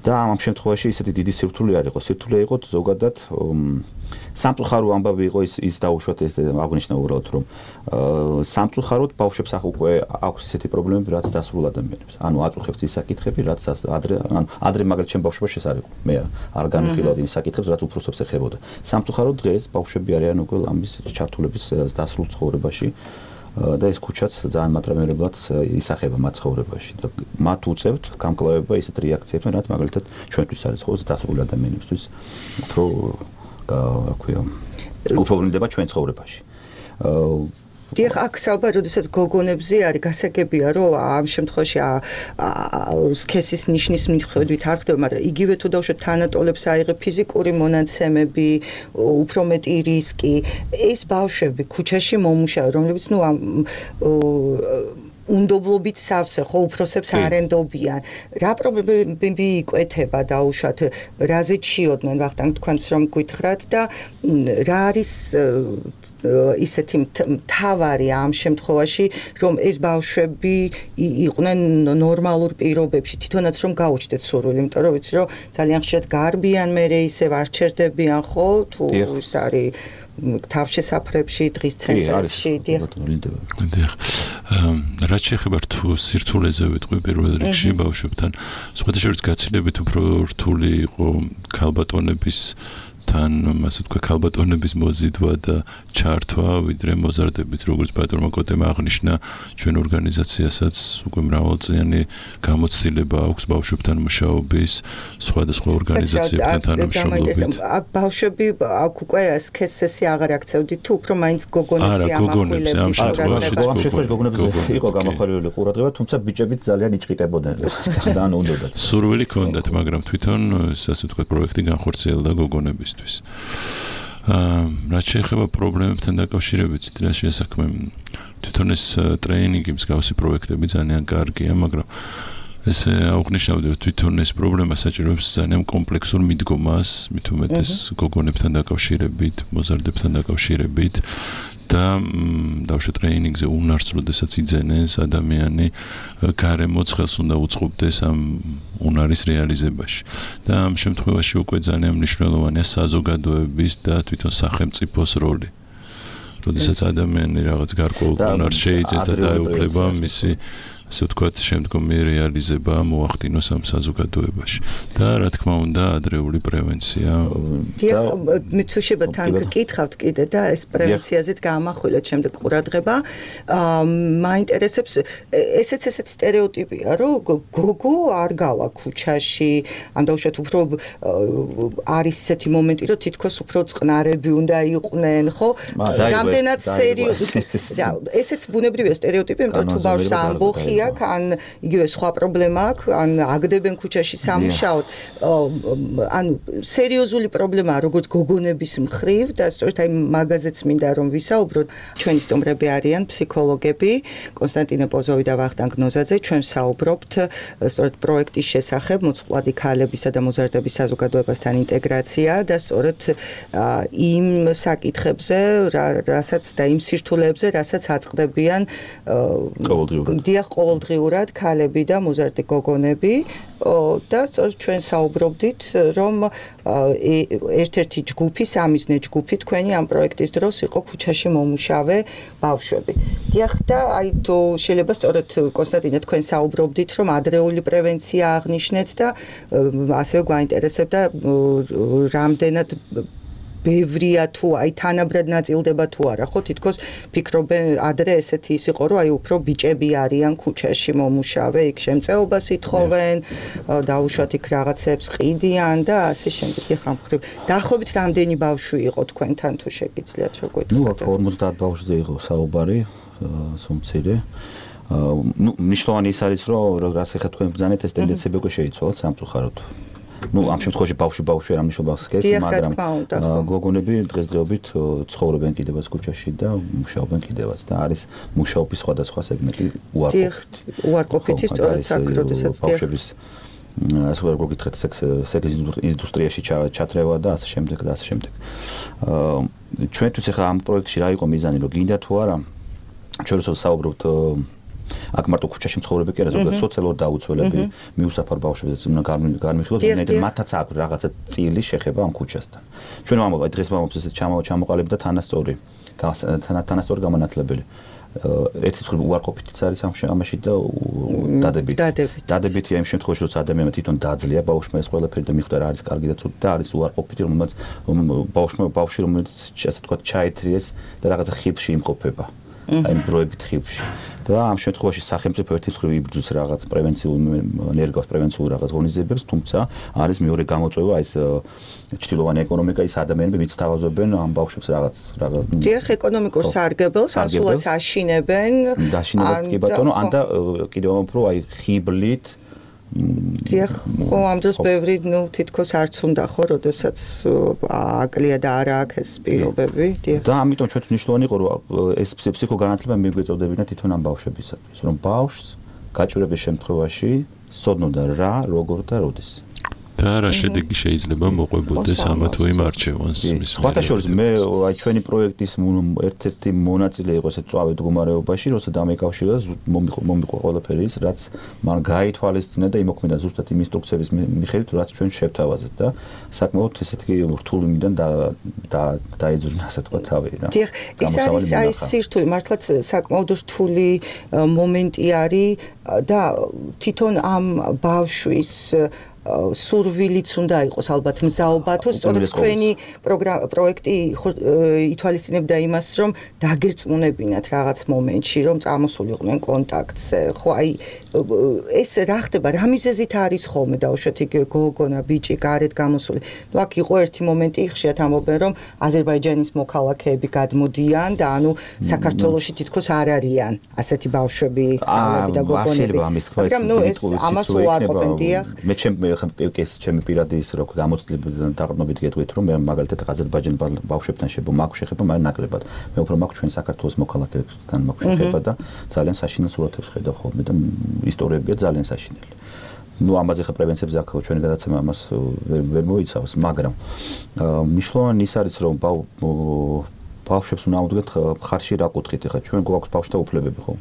და ამ შემთხვევაში ისეთი დიდი სირთულე არ იყო სირთულე იყო ზოგადად სამწუხარო ამბავი იყო ის დაუშვათ ეს აღნიშნა უბრალოდ რომ სამწუხაროდ ბავშვებს უკვე აქვს ისეთი პრობლემები რაც დასრულ ადამიანებს ანუ აწუხებს ის საკითხები რაც ადრე მაგალითად ჩემ ბავშვობაში ეს არ იყო მე არ განვიხილავდი იმ საკითხებს რაც უფროსებს ეხებოდა სამწუხაროდ დღეს ბავშვები არიან უკვე ამის ჩართულების დასრულ ცხოვრებაში და ეს ქუჩაც ძალიან მატრამერებლად ისახება მათ ცხოვრებაში და მათ უწევთ გამკლავება ისეთ რეაქციებთან რაც მაგალითად ჩვენთვის არის ხოლმე დასრული ადამიანებისთვის უფრო რა ქვია უბრალდება ჩვენ ცხოვრებაში დიახ აქ საუბარი როდესაც გოგონებზე არის გასაგებია რომ ამ შემთხვევაში სქესის ნიშნის მიხედვით არ ხდება მაგრამ იგივე თუ დავუშვათ თანატოლებს აიღე ფიზიკური მონაცემები უფრო მეტი რისკი ეს ბავშვები ქუჩაში მომუშავე რომლებიც ნუ უნდობლობით სავსე ხო უფროსებს არ ენდობიან რა პრობლემები იკვეთება დაუშვათ რაზე ჩიოდნენ ვახტანგ თქვენს რომ გითხრათ და რა არის ისეთი მთავარი ამ შემთხვევაში რომ ეს ბავშვები იყვნენ ნორმალურ პირობებში თვითონაც რომ გაუჩნდეთ სურვილი იმიტომ რომ ვიცი რომ ძალიან ხშირად გარბიან მე ისევ არ ჩერდებიან ხო თუ ის არის თავშესაფრებში დღის ცენტრებში დიახ რაც შეეხება თუ სირთულეზე ვიტყვი პირველ რიგში ბავშვებთან სხვათა შორის გაცილებით უფრო რთული იყო ქალბატონების თან ასე თქვა ქალბატონების მოზიდვა და ჩართვა ვიდრე მოზარდების როგორც ბატონმა კოტემ აღნიშნა ჩვენ ორგანიზაციასაც უკვე მრავალწლიანი გამოცდილება აქვს ბავშვებთან მუშაობის სხვადასხვა ორგანიზაციებთან თანამშრომლობით ბავშვები აქ უკვე სქესესი აღარ აქცევდით თუ უფრო მაინც გოგონებზე ამახვილებდით გოგონებზე იყო გამახვილებული ყურადღება თუმცა ბიჭებიც ძალიან იჭყიტებოდნენ ძალიან უნდოდათ სურვილი ჰქონდათ მაგრამ თვითონ ასე თქვა პროექტი განხორციელდა გოგონების რაც შეეხება პრობლემებთან დაკავშირებით რა შესაქმე თვითონ ეს ტრეინინგი მსგავსი პროექტები ძალიან კარგია მაგრამ ეს აღნიშნავდი რომ თვითონ ეს პრობლემა საჭიროებს ძალიან კომპლექსურ მიდგომას მით უმეტეს გოგონებთან დაკავშირებით მოზარდებთან დაკავშირებით და დავშე ტრეინინგზე უნარს როდესაც იძენეს ადამიანი გარემოც ხელს უნდა უწყობდეს ამ უნარის რეალიზებაში და ამ შემთხვევაში უკვე ძალიან მნიშვნელოვანია საზოგადოების და თვითონ სახელმწიფოს როლი როდესაც ადამიანი რაღაც გარკვეულ უნარს შეიძენს და დაეუფლება მისი ასე ვთქვათ შემდგომი რეალიზება მოახდინოს ამ საზოგადოებაში და რა თქმა უნდა ადრეული პრევენცია დიახ მიცუშება თან გკითხავთ კიდე და ეს პრევენციაზეც გამახვილეთ შემდეგ ყურადღება მაინტერესებს ესეც სტერეოტიპია რომ გოგო არ გავა ქუჩაში ან დაუშვათ უფრო არის ესეთი მომენტი რომ თითქოს უფრო წყნარები უნდა იყვნენ ხო რამდენად სერიოზული ესეც ბუნებრივია სტერეოტიპი იმიტომ თუ ბავშვს ამბოხი აქ ან იგივე სხვა პრობლემა აქვს ან აგდებენ ქუჩაში სამუშაოდ ანუ სერიოზული პრობლემაა როგორც გოგონების მხრივ და სწორედ აი მაგაზეც მინდა რომ ვისაუბროთ ჩვენი სტუმრები არიან ფსიქოლოგები კონსტანტინე პოზოვი და ვახტანგ ნოზაძე ჩვენ საუბრობთ სწორედ პროექტის შესახებ მოწყვლადი ქალებისა და მოზარდების საზოგადოებასთან ინტეგრაცია და სწორედ იმ საკითხებზე რასაც და იმ სირთულეებზე რასაც აწყდებიან ყოველდღიურად დიახ ყოველდღიურად ქალები და მოზარდი გოგონები და ჩვენ საუბრობდით რომ ერთ-ერთი ჯგუფი, სამიზნე ჯგუფი თქვენი ამ პროექტის დროს იყო ქუჩაში მომუშავე ბავშვები. დიახ და აი თუ შეიძლება სწორედ კონსტანტინე თქვენ საუბრობდით რომ ადრეული პრევენცია აღნიშნეთ და ასევე გვაინტერესებდა რამდენად ბევრია თუ აი თანაბრად ნაწილდება თუ არა ხო თითქოს ფიქრობენ ადრე ესეთი ის იყო რომ აი უფრო ბიჭები არიან ქუჩაში მომუშავე იქ შემწეობას ითხოვენ დაუშვათ იქ რაღაცებს ყიდიან და ასე შემდეგ ეხლა მხრივ დაახლოებით რამდენი ბავშვი იყო თქვენთან თუ შეგიძლიათ რო გეტყვით 50 ბავშვზე იყო საუბარი სუმცირე ნიშნავენ ის არის რომ რაც ეხლა თქვენ ბრძანეთ ეს ტენდენციები უკვე შეიცვალა სამწუხაროდ ამ შემთხვევაში ბავშვი არ ამნიშნავს ხეს, მაგრამ გოგონები დღესდღეობით ცხოვრობენ კიდევაც ქუჩაში და მუშაობენ კიდევაც და არის მუშაობის სხვადასხვა სეგმენტი უარყოფითი სწორედ აქ როდესაც ბავშვების ასე ვარ გოგითხეთ სექს ინდუსტრიაში ჩათრევა და ასე შემდეგ და ასე შემდეგ. ჩვენთვის ახლა ამ პროექტში რა იყო მიზანი, რომ გინდა თუ არა ჩვენ როცა საუბრობთ აქ მარტო ქუჩაში მცხოვრები კი არა, ზოგადად სოციალურ დაუცველები მიუსაფარ ბავშვებიც უნდა განვიხილოთ, რომ მათაც აქვს რაღაცა წილი შეხება ამ ქუჩასთან. ჩვენ ამბობთ დღეს მომწეს ესეთ ჩამოყალიბდა თანასწორი გამონათლებელი. ერთი მხრივ უარყოფითიც არის ამაში და დადებითია იმ შემთხვევაში, როცა ადამიანმა თვითონ დაძლია ბავშვმა ეს ყველაფერი და მიხვდა რა არის კარგი და ცუდი და არის უარყოფითი, რომელმაც ბავშვი რომელიც ასე თქვა ჩაითრიეს და რაღაცა ხიბში იმყოფება. აი დროებით ხიბში და ამ შემთხვევაში სახელმწიფო ერთი მხრივ იბრძვის რაღაც ენერგოს პრევენციულ რაღაც ღონისძიებებს, თუმცა არის მეორე გამოწვევა ის ჩtildeოვანი ეკონომიკა ის ადამიანები ვინც თავაზობენ ამ ბავშვებს რაღაც დიახ ეკონომიკურ სარგებელს ასულად აშინებენ კი ბატონო ან და კიდევ უფრო აი ხიბლით დიახ ხო ამ დროს ბევრი თითქოს არც უნდა ხო როდესაც აკლია და არა აქვს ეს პირობები დიახ და ამიტომ ჩვენ მნიშვნელოვანი იყო რომ ეს ფსიქოგანათლება მიგვეწოდებინა თვითონ ამ ბავშვებისათვის რომ ბავშვს გაჭირების შემთხვევაში სწოდნოდა რა როგორ და როდის და რა შედეგი შეიძლება მოყვებოდეს ამა თუ იმ არჩევანს მის სხვათა შორის მე აი ჩვენი პროექტის ერთ-ერთი მონაწილე იყო ეს წვავე მდგომარეობაში როცა დამეკავშირა მომიყვა ყველაფერი ის რაც მან გაითვალისწინა და იმოქმედა ზუსტად იმ ინსტრუქციების მიხედვით რაც ჩვენ შევთავაზეთ და საკმაოდ ესეთი რთული მიდან დაეძღვნა ასე თქვა თავი რა დიახ ის არის აი სირთული მართლაც საკმაოდ რთული მომენტი არის და თვითონ ამ ბავშვის სურვილიც უნდა იყოს ალბათ მზაობათო სწორედ თქვენი პროექტი ითვალისწინებდა იმას რომ დაგერწმუნებინათ რაღაც მომენტში რომ წამოსულიყვნენ კონტაქტზე ხო აი ეს რა ხდება რა მიზეზით არის ხოლმე დაუშვათ იქ გოგონა ბიჭი გარეთ გამოსული ნუ აქ იყო ერთი მომენტი ხშირად ამბობენ რომ აზერბაიჯანის მოქალაქეები გადმოდიან და ანუ საქართველოში თითქოს არ არიან ასეთი ბავშვები და გოგონები მაგრამ ნუ ეს ამას უარყოფენ დიახ მე ეს ჩემი პირადი ის რო გამოცდილებიდან დაყრდნობით გეტყვით რომ მე მაგალითად აზერბაიჯანის ბავშვებთან მაქვს შეხება მაგრამ ნაკლებად მე უფრო მაქვს ჩვენ საქართველოს მოქალაქეებთან მაქვს შეხება და ძალიან საშინელ სურათებს ხედავ ხოლმე და ისტორიებია ძალიან საშინელი ну ამაზე ხა პრევენციებზე აქ ჩვენი გადაცემა ამას ვერ მოიცავს მაგრამ მნიშვნელოვანი ის არის რომ ბავშვებს უნდა ავდგეთ ხარში რა კუთხით ხა ჩვენ გვაქვს ბავშვთა უფლებები ხო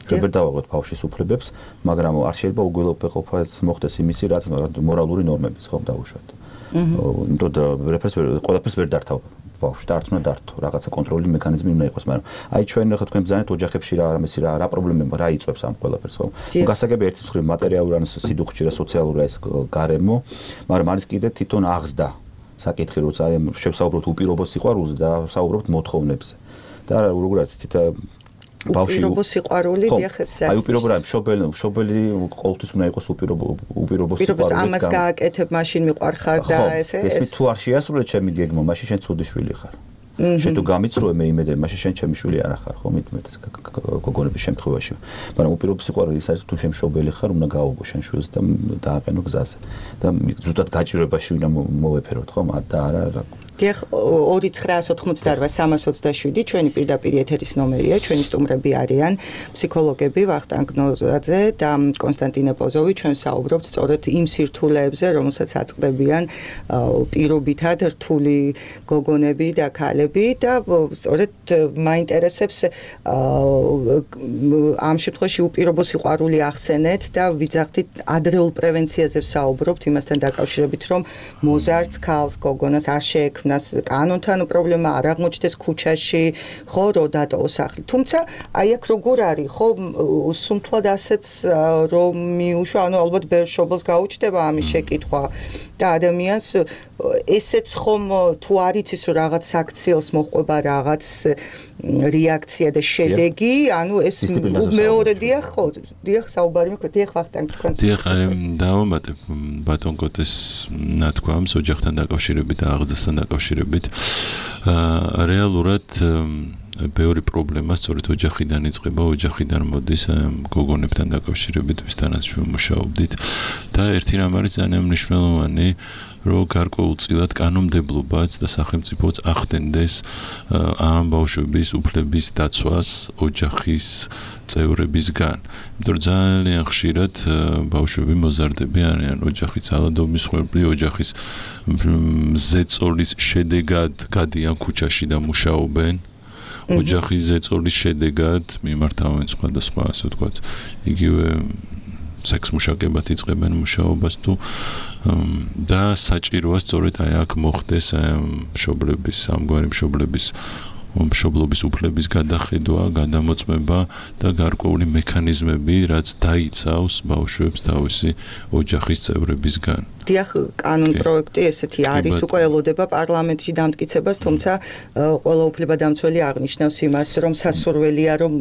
ჩვენ ვერ დავაღვეთ ბავშვის უფლებებს, მაგრამ არ შეიძლება უგველყოფას მოხდეს იმისი, რაც მორალური ნორმების ხო დაუშვათ. იმიტომ ყველაფერს ვერ დართავ ბავშვს და არც უნდა დართო, რაღაცა კონტროლის მექანიზმი უნდა იყოს, მაგრამ აი ჩვენ ხა თქვენ ბრძანეთ ოჯახებში რა პრობლემები რა იწვევს ამ ყველაფერს ხო? გასაგები ერთი მხრივ მატერიალური ან სიდუხჭი რა სოციალური ეს გარემო, მაგრამ არის კიდე თვითონ აღზრდა საკითხი, როცა შევსაუბროთ უპირობო სიყვარულზე და საუბრობთ მოთხოვნებზე. და როგორაც იცით უპირობო სიყვარული დიახ ეს აი უპირობო რა მშობელი ყოველთვის უნდა იყოს უპირობო სიყვარული ამას გააკეთებ მაშინ მიყვარხარ და ესე ეს თუ არ შეასრულე ჩემი გეგმა მაშინ შენ ცუდი შვილი ხარ შენ თუ გამიცრუე მე იმედები მაშინ შენ ჩემი შვილი არ ხარ ხო მეტად გოგონების შემთხვევაში მაგრამ უპირობო სიყვარული ის არის თუ შენ მშობელი ხარ უნდა გაუგო შენ შვილს და დააყენო გზაზე და ზუსტად გაჭირვებაში უნდა მოვეფეროთ ხო და არა დიახ 2988327 ჩვენი პირდაპირ ეთერის ნომერია ჩვენი სტუმრები არიან ფსიქოლოგები ვახტანგ ნოზაძე და კონსტანტინე პოზოვი ჩვენ საუბრობთ სწორედ იმ სირთულეებზე რომელსაც აწყდებიან პირობითად რთული გოგონები და ქალები პრობლემები და სწორედ მაინტერესებს ამ შემთხვევაში უპირობო სიყვარული ახსენეთ და ვიძახდით ადრეულ პრევენციაზე ვსაუბრობთ იმასთან დაკავშირებით, რომ მოზარდს ქალს, გოგონას არ შეექმნას კანონთან პრობლემა, არ აღმოჩნდეს ქუჩაში, ხო, რო დატოვოს სახლი. თუმცა აი აქ როგორ არის, ხო, სუმთლად ასეც რომ მიუშვა, ანუ ალბათ ბევრ შობილს გაუჩნდება ამის შეკითხვა და ადამიანს ესეც ხომ თუ არ იცის რომ რაღაც საქციელს მოყვება რაღაც რეაქცია და შედეგი, ანუ ეს მეორე დიახ, ხო, დიახ საუბარი მეკვეთ, დიახ ვახტანგ თქვენ. დიახ, დავამატებ ბატონ გოტეს ნათქვამს ოჯახთან დაკავშირებით და აღზრდასთან დაკავშირებით. რეალურად ბევრი პრობლემა სწორედ ოჯახიდან იწყება, ოჯახიდან მოდის გოგონებთან დაკავშირებით, ვისთანაც ჩვენ მუშაობდით და ერთი რამ არის ძალიან მნიშვნელოვანი, რომ გარკვეულწილად კანონმდებლობაც და სახელმწიფოც ახდენდეს ამ ბავშვების უფლების დაცვას ოჯახის წევრებისგან. იმიტომ რომ ძალიან ხშირად ბავშვები მოზარდები არიან ოჯახის ძალადობის მხრები, ოჯახის ზეწოლის შედეგად გადიან ქუჩაში და მუშაობენ. ოჯახის ზეწოლის შედეგად მიმართავენ სხვადასხვა, ასე ვთქვათ, იგივე სექსმუშაკებად იწყებენ მუშაობას თუ და საჭიროა სწორედ აი აქ მოხდეს მშობლების, ამგვარი მშობლობის უფლების გადახედვა, გადამოწმება და გარკვეული მექანიზმები, რაც დაიცავს ბავშვებს თავისი ოჯახის წევრებისგან. დიახ, კანონ პროექტი ესეთი არის, უკვე ელოდება პარლამენტში დამტკიცებას, თუმცა ყველა უფლებადამცველი აღნიშნავს იმას, რომ სასურველია, რომ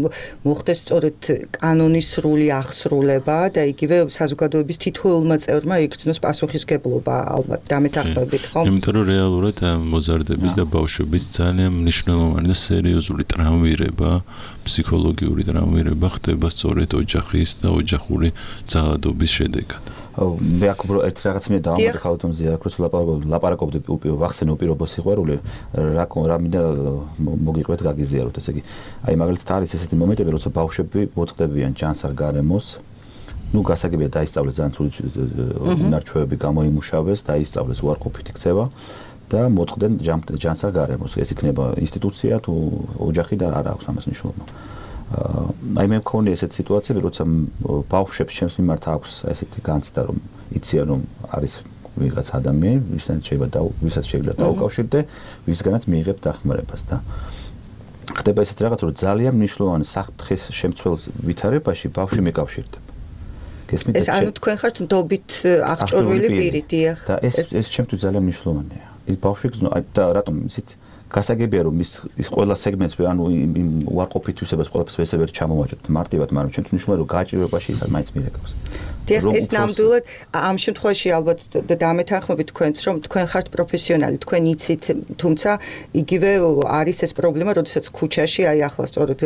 მოხდეს სწორედ კანონის სრული აღსრულება და იგივე საზოგადოების თითოეულმა წევრმა იგრძნოს პასუხისმგებლობა, ალბათ დამეთანხმებით, ხო? იმიტომ რომ რეალურად მოზარდების და ბავშვების ძალიან მნიშვნელოვანი და სერიოზული ტრამვირება, ფსიქოლოგიური ტრამვირება ხდება სწორედ ოჯახის და ოჯახური ძალადობის შედეგად. მე აქ ერთი რაღაც მე დავამატე ხალხონზე აქ როცა ლაპარაკობდი ვახსენე უპირობო სიყვარული რა მინდა მოგიყვეთ გაგიზიაროთ ესე იგი აი მაგალითად არის ესეთი მომენტები როცა ბავშვები მოწყდებიან ჯანსაღ გარემოს ნუ გასაგებია დაისწავლეს ძალიან ცუდი ნარჩვევები გამოიმუშავეს დაისწავლეს უარყოფითი ქცევა და მოწყდნენ ჯანსაღ გარემოს ეს იქნება ინსტიტუცია თუ ოჯახი და არ აქვს ამას მნიშვნელობა აი მე მქონია ესეთი სიტუაციები, როცა ბავშვებს ჩემს მიმართ აქვს ესეთი განცდა, რომ იციან, რომ არის ვიღაც ადამიანი, ვისაც შეიძლება დაუკავშირდე, ვისგანაც მიიღებ დახმარებას და ხდება ესეთი რაღაც, რომ ძალიან მნიშვნელოვანი საფრთხის შემცველ ვითარებაში ბავშვი მეკავშირდება. ეს ანუ თქვენ ხართ ნდობით აღჭურვილი პირი, დიახ. და ეს ჩემთვის ძალიან მნიშვნელოვანია. ის ბავშვი და რატომ ისეთ გასაგებია რომ ის ყველა სეგმენტს ანუ იმ უარყოფითვისებას ყველაფერს ვესებერ ჩამოვაჭრებთ მარტივად, მაგრამ ჩვენთვის მნიშვნელოვანია რომ გააჭირვებაში ის მაინც მირეკავს. დიახ, ეს ნამდვილად ამ შემთხვევაში ალბათ დამეთანხმებით თქვენც რომ თქვენ ხართ პროფესიონალი, თქვენ იცით, თუმცა იგივე არის ეს პრობლემა, როდესაც ქუჩაში აი ახლა სწორედ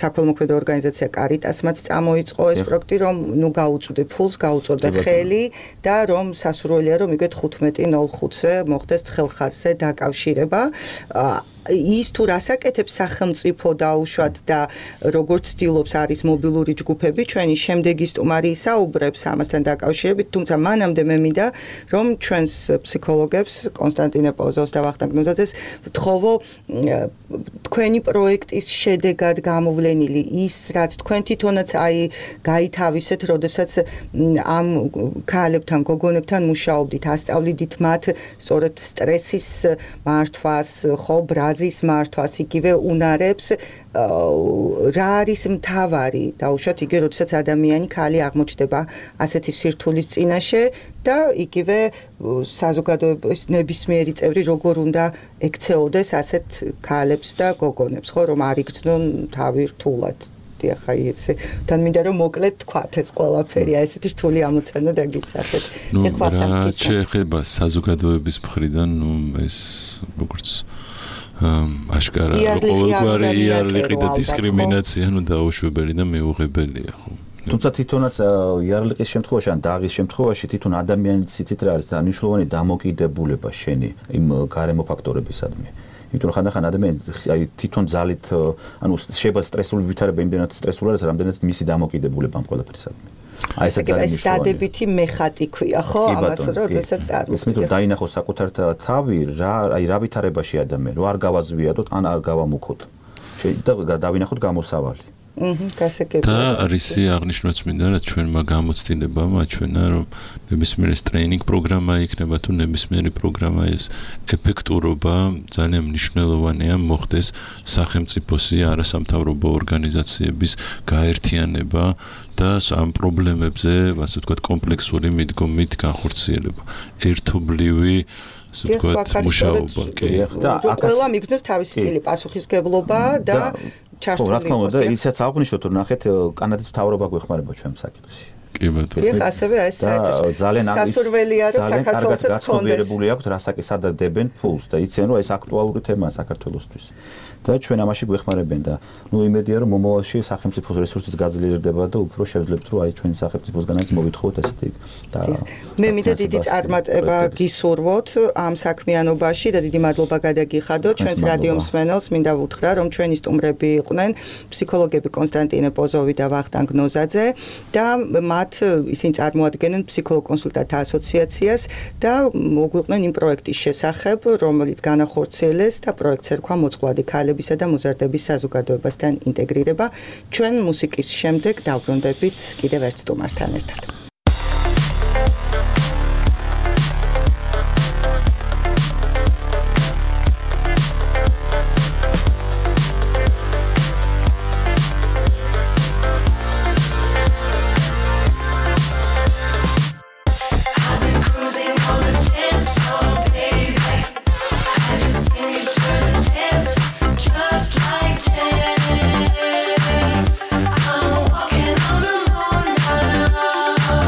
საქველმოქმედო ორგანიზაცია კარიტასმაც წამოიწყო ეს პროექტი, რომ ნუ გაუწვდე ფულს, გაუწოდე ხელი და რომ სასურველია რომ იგივე 15:05-ზე მოხდეს ცხელხაზზე დაკავშირება. ის თუ რასაკეთებს სახელმწიფო დაუშვათ და როგორც ცდილობს არის მობილური ჯგუფები, ჩვენი შემდეგი სტუმარი ისაუბრებს ამასთან დაკავშირებით, თუმცა მანამდე მე მინდა რომ ჩვენს ფსიქოლოგებს კონსტანტინე პოზოვს და ვახტანგ ნუზაძეს ვთხოვო თქვენი პროექტის შედეგად გამოვლენილი ის რაც თქვენ თვითონაც აი გაითავისეთ, როდესაც ამ ქალებთან, გოგონებთან მუშაობდით, ასწავლიდით მათ სწორედ სტრესის მართვას, ხო, აზის მართვას იგივე უნარებს რა არის მთავარი დაუშვათ იგივე როდესაც ადამიანი ქალი აღმოჩნდება ასეთი სირთულის წინაშე და იგივე საზოგადოების ნებისმიერი წევრი როგორ უნდა ექცეოდეს ასეთ ქალებს და გოგონებს ხო რომ არ იგრძნონ თავი რთულად დიახ აი ესე თან მინდა რომ მოკლედ თქვათ ეს ყველაფერი აი ესეთი რთული ამოცანა დაგისახეთ დიახ რა შეეხება საზოგადოების მხრიდან ნუ ეს როგორც აშკარა ყოველგვარი იარლიყი და დისკრიმინაცია ნუ დაუშვებელი და მეუღებელია ხო თუმცა თვითონაც იარლიყის შემთხვევაში ან დაღის შემთხვევაში თვითონ ადამიანის სიცით რა არის და მნიშვნელოვანი დამოკიდებულება შენი იმ გარემო ფაქტორებისადმი იმიტომ რომ ხანდახან ადამიანი აი თვითონ ძალით ანუ შეიძლება სტრესული ვითარება იმდენად სტრესული არის რამდენად მისი დამოკიდებულება ამ ყველაფერსადმი აი ეს ძალიან ეს დადებითი მეხატი ქვია, ხო? ამას როდესაც წარმოგიდგენთ. ისმით დაინახოს საკუთარ თავი, აი რა ვითარებაში ადამიანი, რომ არ გავაზვიადოთ, ან არ გავამუქოთ. და დავინახოთ გამოსავალი. გასაგებია. და არის აღნიშნულიც მინდა რა ჩვენმა გამოცდილებამ აჩვენა რომ ნებისმიერ ტრეინინგ პროგრამა იქნება თუ ნებისმიერი პროგრამა ეს ეფექტურობა ძალიან მნიშვნელოვანია მოხდეს სახელმწიფოსი არასამთავრობო ორგანიზაციების გაერთიანება და ამ პრობლემებზე ასე ვთქვათ კომპლექსური მიდგომით განხორციელება ერთობლივი ასე ვთქვათ მუშაობა კი და ყველა მიგზნოს თავისი წილი პასუხისგებლობა და ხო, რა თქმა უნდა, ისაც აღნიშნოთ, რომ ნახეთ, კანადის მთავრობა გვეხმარება ჩვენ საკითხში. კი ბატონო. დიახ, ასევე ეს ძალიან სასურველია, რომ საქართველოსაც კონდეს. აქვს რასაკი სადადებენ ფულს და იციან, რომ ეს აქტუალური თემაა საქართველოსთვის. და ჩვენ ამაში გვეხმარებენ და იმედია, რომ მომავალში სახელმწიფოს რესურსიც გაძლიერდება და უფრო შევძლებთ, რომ აი ჩვენი სახელმწიფოსგანაც მოვითხოვოთ ესეთი და მე მინდა დიდი წარმატება გისურვოთ ამ საქმიანობაში და დიდი მადლობა გადაგიხადოთ ჩვენს რადიო მსმენელს მინდა ვუთხრა, რომ ჩვენი სტუმრები იყვნენ ფსიქოლოგები კონსტანტინე პოზოვი და ვახტანგ ნოზაძე და მათ ისინი წარმოადგენენ ფსიქოლოგ-კონსულტანტთა ასოციაციას და მოგვიყვნენ იმ პროექტის შესახებ, რომელიც განახორციელეს და პროექტს ერქვა მოწყვლადი ქალებისა და მოზარდების საზოგადოებასთან ინტეგრირება. ჩვენ მუსიკის შემდეგ დავბრუნდებით კიდევ ერთ სტუმართან ერთად. I'm walking on the moon now.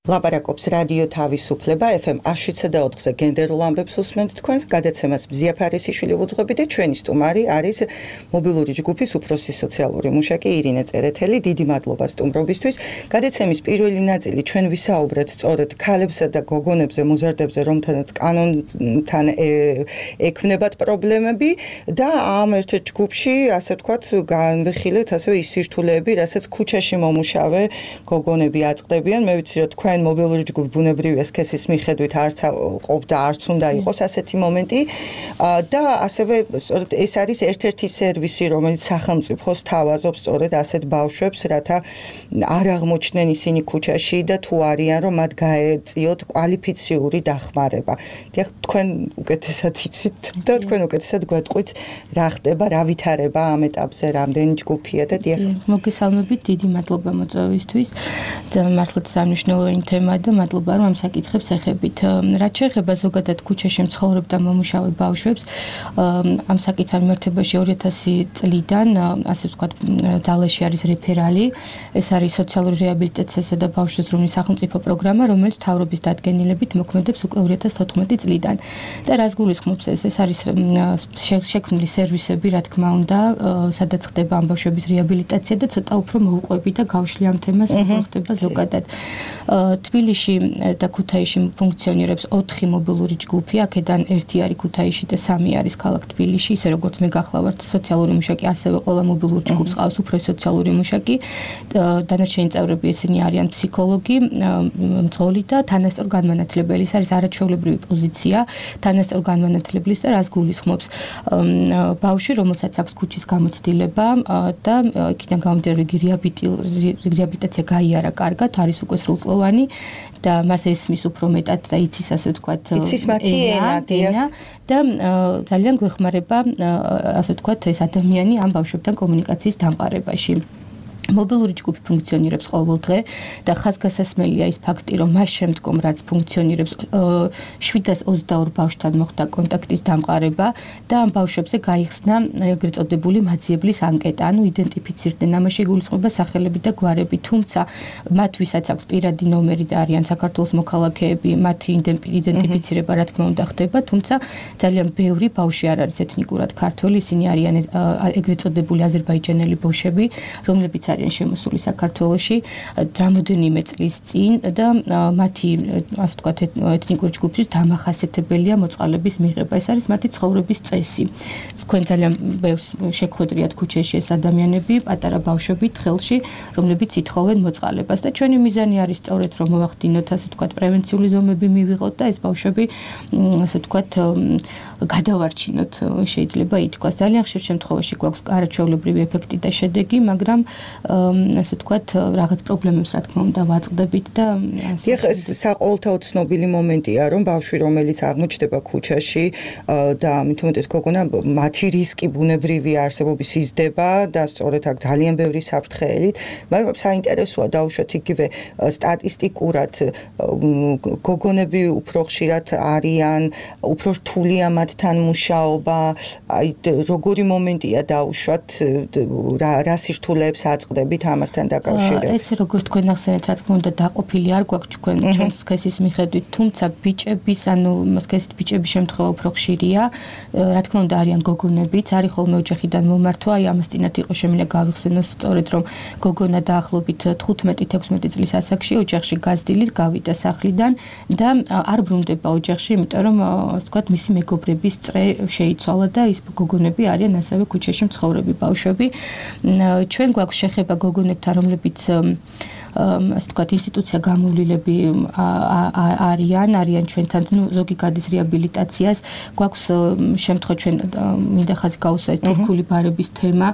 ლაპარაკობს რადიო თავისუფლება FM 107.4-ზე გენდერულ ამბებს უსმენთ თქვენს გადაცემას მზია ფარისიშვილი ვუძღვები და ჩვენი სტუმარი არის მობილური ჯგუფის უფროსი სოციალური მუშაკი ირინე წერეთელი. დიდი მადლობა სტუმრობისთვის. გადაცემის პირველი ნაწილი ჩვენ ვისაუბრეთ სწორედ ქალებსა და გოგონებზე, მოზარდებზე, რომთანაც კანონთან ექმნებათ პრობლემები და ამ ერთ ჯგუფში, ასე ვთქვათ, განვიხილეთ ასევე ის სირთულეები, რასაც ქუჩაში მომუშავე გოგონები აწყდებიან. მე ვიცი, რომ თქვენ მობილური ჯგუფი ბუნებრივია სქესის მიხედვით არც ყოფდა, არც უნდა იყოს ასეთი მომენტი და ასევე სწორედ ეს არის ერთ-ერთი სერვისი, რომელიც სახელმწიფოს თავაზობს სწორედ ასეთ ბავშვებს, რათა არ აღმოჩნდნენ ისინი ქუჩაში და თუ არიან, რომ მათ გაეწიოთ კვალიფიციური დახმარება. დიახ, თქვენ უკეთესად იცით და თქვენ უკეთესად გვეტყვით, რა ხდება, რა ვითარება ამ ეტაპზე, რამდენი ჯგუფია და დიახ. მოგესალმებით, დიდი მადლობა მოწვევისთვის. მართლაც სამნიშნელოვანი თემა და მადლობა რომ ამ საკითხებს ეხებით. რაც შეეხება ზოგადად ქუჩაში მცხოვრებ და მომუშავე ბავშვებს, ამ საკითხთან მიმართებაში 2000 წლიდან, ასე ვთქვათ, ძალაში არის რეფერალი. ეს არის სოციალური რეაბილიტაციისა და ბავშვთა ზრუნვის სახელმწიფო პროგრამა, რომელიც მთავრობის დადგენილებით მოქმედებს უკვე 2014 წლიდან. და რას გულისხმობს ეს? ეს არის შექმნილი სერვისები, რა თქმა უნდა, სადაც ხდება ამ ბავშვების რეაბილიტაცია და ცოტა უფრო მოუყვები და გავშლი ამ თემას, როგორ ხდება ზოგადად. თბილისში და ქუთაისში ფუნქციონირებს 4 მობილური ჯგუფი, აქედან 1 არის ქუთაისში და 3 არის ქალაქ თბილისში, ისე როგორც მე გახლავართ სოციალური მუშაკი, ასევე ყველა მობილურ ჯგუფს ყავს უფროსი სოციალური მუშაკი. დანარჩენი წევრები ესენი არიან ფსიქოლოგი, მძღოლი და თანასწორ განმანათლებელი. ეს არის არაჩვეულებრივი პოზიცია თანასწორ განმანათლებლის და რას გულისხმობს? ბავშვი, რომელსაც აქვს ქუჩის გამოცდილება და იქიდან გამომდინარე რეაბილიტაცია გაიარა კარგად, არის უკვე სრულწლოვანი და მას ესმის უფრო მეტად და იცის, ასე ვთქვათ, იცის მათი ენა და ძალიან გვეხმარება, ასე ვთქვათ, ეს ადამიანი ამ ბავშვებთან კომუნიკაციის დამყარებაში. მობილური ჯგუფი ფუნქციონირებს ყოველდღე და ხაზგასასმელია ის ფაქტი, რომ მას შემდგომ რაც ფუნქციონირებს 722 ბავშვთან მოხდა კონტაქტის დამყარება და ამ ბავშვებზე გაიხსნა ეგრეთ წოდებული მაძიებლის ანკეტა, ანუ იდენტიფიცირდნენ, ამაში გულისხმობა სახელები და გვარები, თუმცა მათ ვისაც აქვს პირადი ნომერი და არიან საქართველოს მოქალაქეები, მათი იდენტიფიცირება რა თქმა უნდა ხდება, თუმცა ძალიან ბევრი ბავშვი არ არის ეთნიკურად ქართველი, ისინი არიან ეგრეთ წოდებული აზერბაიჯანელი ბოშები, რომლებიც არიან შემოსული საქართველოში რამოდენიმე წლის წინ და მათი, ასე ვთქვათ, ეთნიკური ჯგუფის დამახასიათებელია მოწყალების მიღება. ეს არის მათი ცხოვრების წესი. თქვენ ძალიან ბევრს შეგხვედრიათ ქუჩაში ეს ადამიანები, პატარა ბავშვები ხელში, რომლებიც ითხოვენ მოწყალებას და ჩვენი მიზანი არის სწორედ რომ მოვახდინოთ, ასე ვთქვათ, პრევენციული ზომები მივიღოთ და ეს ბავშვები, ასე ვთქვათ, გადავარჩინოთ, შეიძლება ითქვას. ძალიან ხშირ შემთხვევაში გვაქვს არაჩვეულებრივი ეფექტი და შედეგი, მაგრამ ასე ვთქვათ, რაღაც პრობლემებს რა თქმა უნდა ვაწყდებით და დიახ, ეს საყოველთაო ცნობილი მომენტია, რომ ბავშვი, რომელიც აღმოჩნდება ქუჩაში და მით უმეტეს გოგონა, მათი რისკი ბუნებრივი არსებობის იზრდება და სწორედ აქ ძალიან ბევრი საფრთხეებით, მაგრამ საინტერესოა დაუშვათ იგივე სტატისტიკურად გოგონები უფრო ხშირად არიან, უფრო რთულია მათთან მუშაობა, აი როგორი მომენტია დაუშვათ, რა სირთულეებს აწყდებით ამასთან დაკავშირებით. ეს როგორც თქვენ ახსენეთ, რა თქმა უნდა, დაყოფილი არ გვაქვს ჩვენს სქესის მიხედვით, თუმცა ბიჭების, ანუ სქესით ბიჭების შემთხვევა უფრო ხშირია. რა თქმა უნდა, არიან გოგონებიც, არის ხოლმე ოჯახიდან მომართვა, აი ამას წინათ იყო შემიძლია გავიხსენოს სწორედ, რომ გოგონა დაახლოებით 15-16 წლის ასაკში ოჯახში გაზრდილით გავიდა სახლიდან და არ ბრუნდება ოჯახში, იმიტომ რომ, ასე ვთქვათ, მისი მეგობრების წრე შეიცვალა და ის გოგონები არიან ასევე ქუჩაში მცხოვრები ბავშვები. ჩვენ გვაქვს შეხება გოგონებთან, რომლებიც ასე ვთქვათ, ინსტიტუცია გამოვლილები არიან ჩვენთან, ზოგი გადის რეაბილიტაციას. გვაქვს შემთხვევა ჩვენ მინდა ხაზი გაუსვა ეს თურქული ბარების თემა,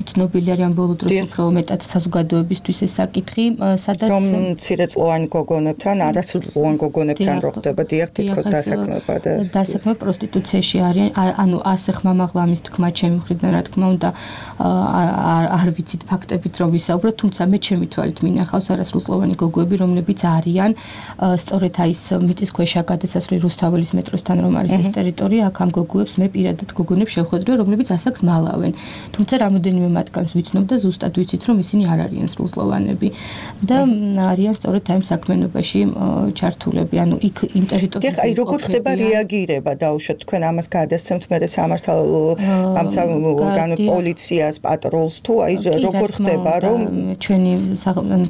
ცნობილი არის ამ ბოლო დროს უფრო მეტად საზოგადოებისთვის ეს საკითხი, სადაც რომ მცირეწლოვანი გოგონებთან, არასრულწლოვან გოგონებთან რო ხდება დიახ თითქოს დასაქმება და დასაქმება პროსტიტუციაში არიან, ანუ ასე ხმამაღლა ამის თქმა ჩემი მხრიდან, რა თქმა უნდა, არ ვიცით ფაქტები ფაქტებით რომ ვისაუბროთ, თუმცა მე ჩემი თვალით მინახავს არასრულწლოვანი გოგოები, რომლებიც არიან სწორედ აი ეს მიწისქვეშა გადასასვლელი რუსთაველის მეტროსთან რომ არის ეს ტერიტორია, აქ ამ გოგოებს მე პირადად გოგონებს შევხვედრი, რომლებიც ასაკს მალავენ. თუმცა რამოდენიმე მათგანს ვიცნობ და ზუსტად ვიცით რომ ისინი არ არიან სრულწლოვანები და არიან სწორედ აი საქმიანობაში ჩართულები, ანუ იქ იმ ტერიტორიაზე. აი როგორ ხდება რეაგირება დაუშვათ თქვენ ამას გადასცემთ მე სამართალო პოლიციას, პატროლს თუ აი როგორ ხდება რომ ჩვენი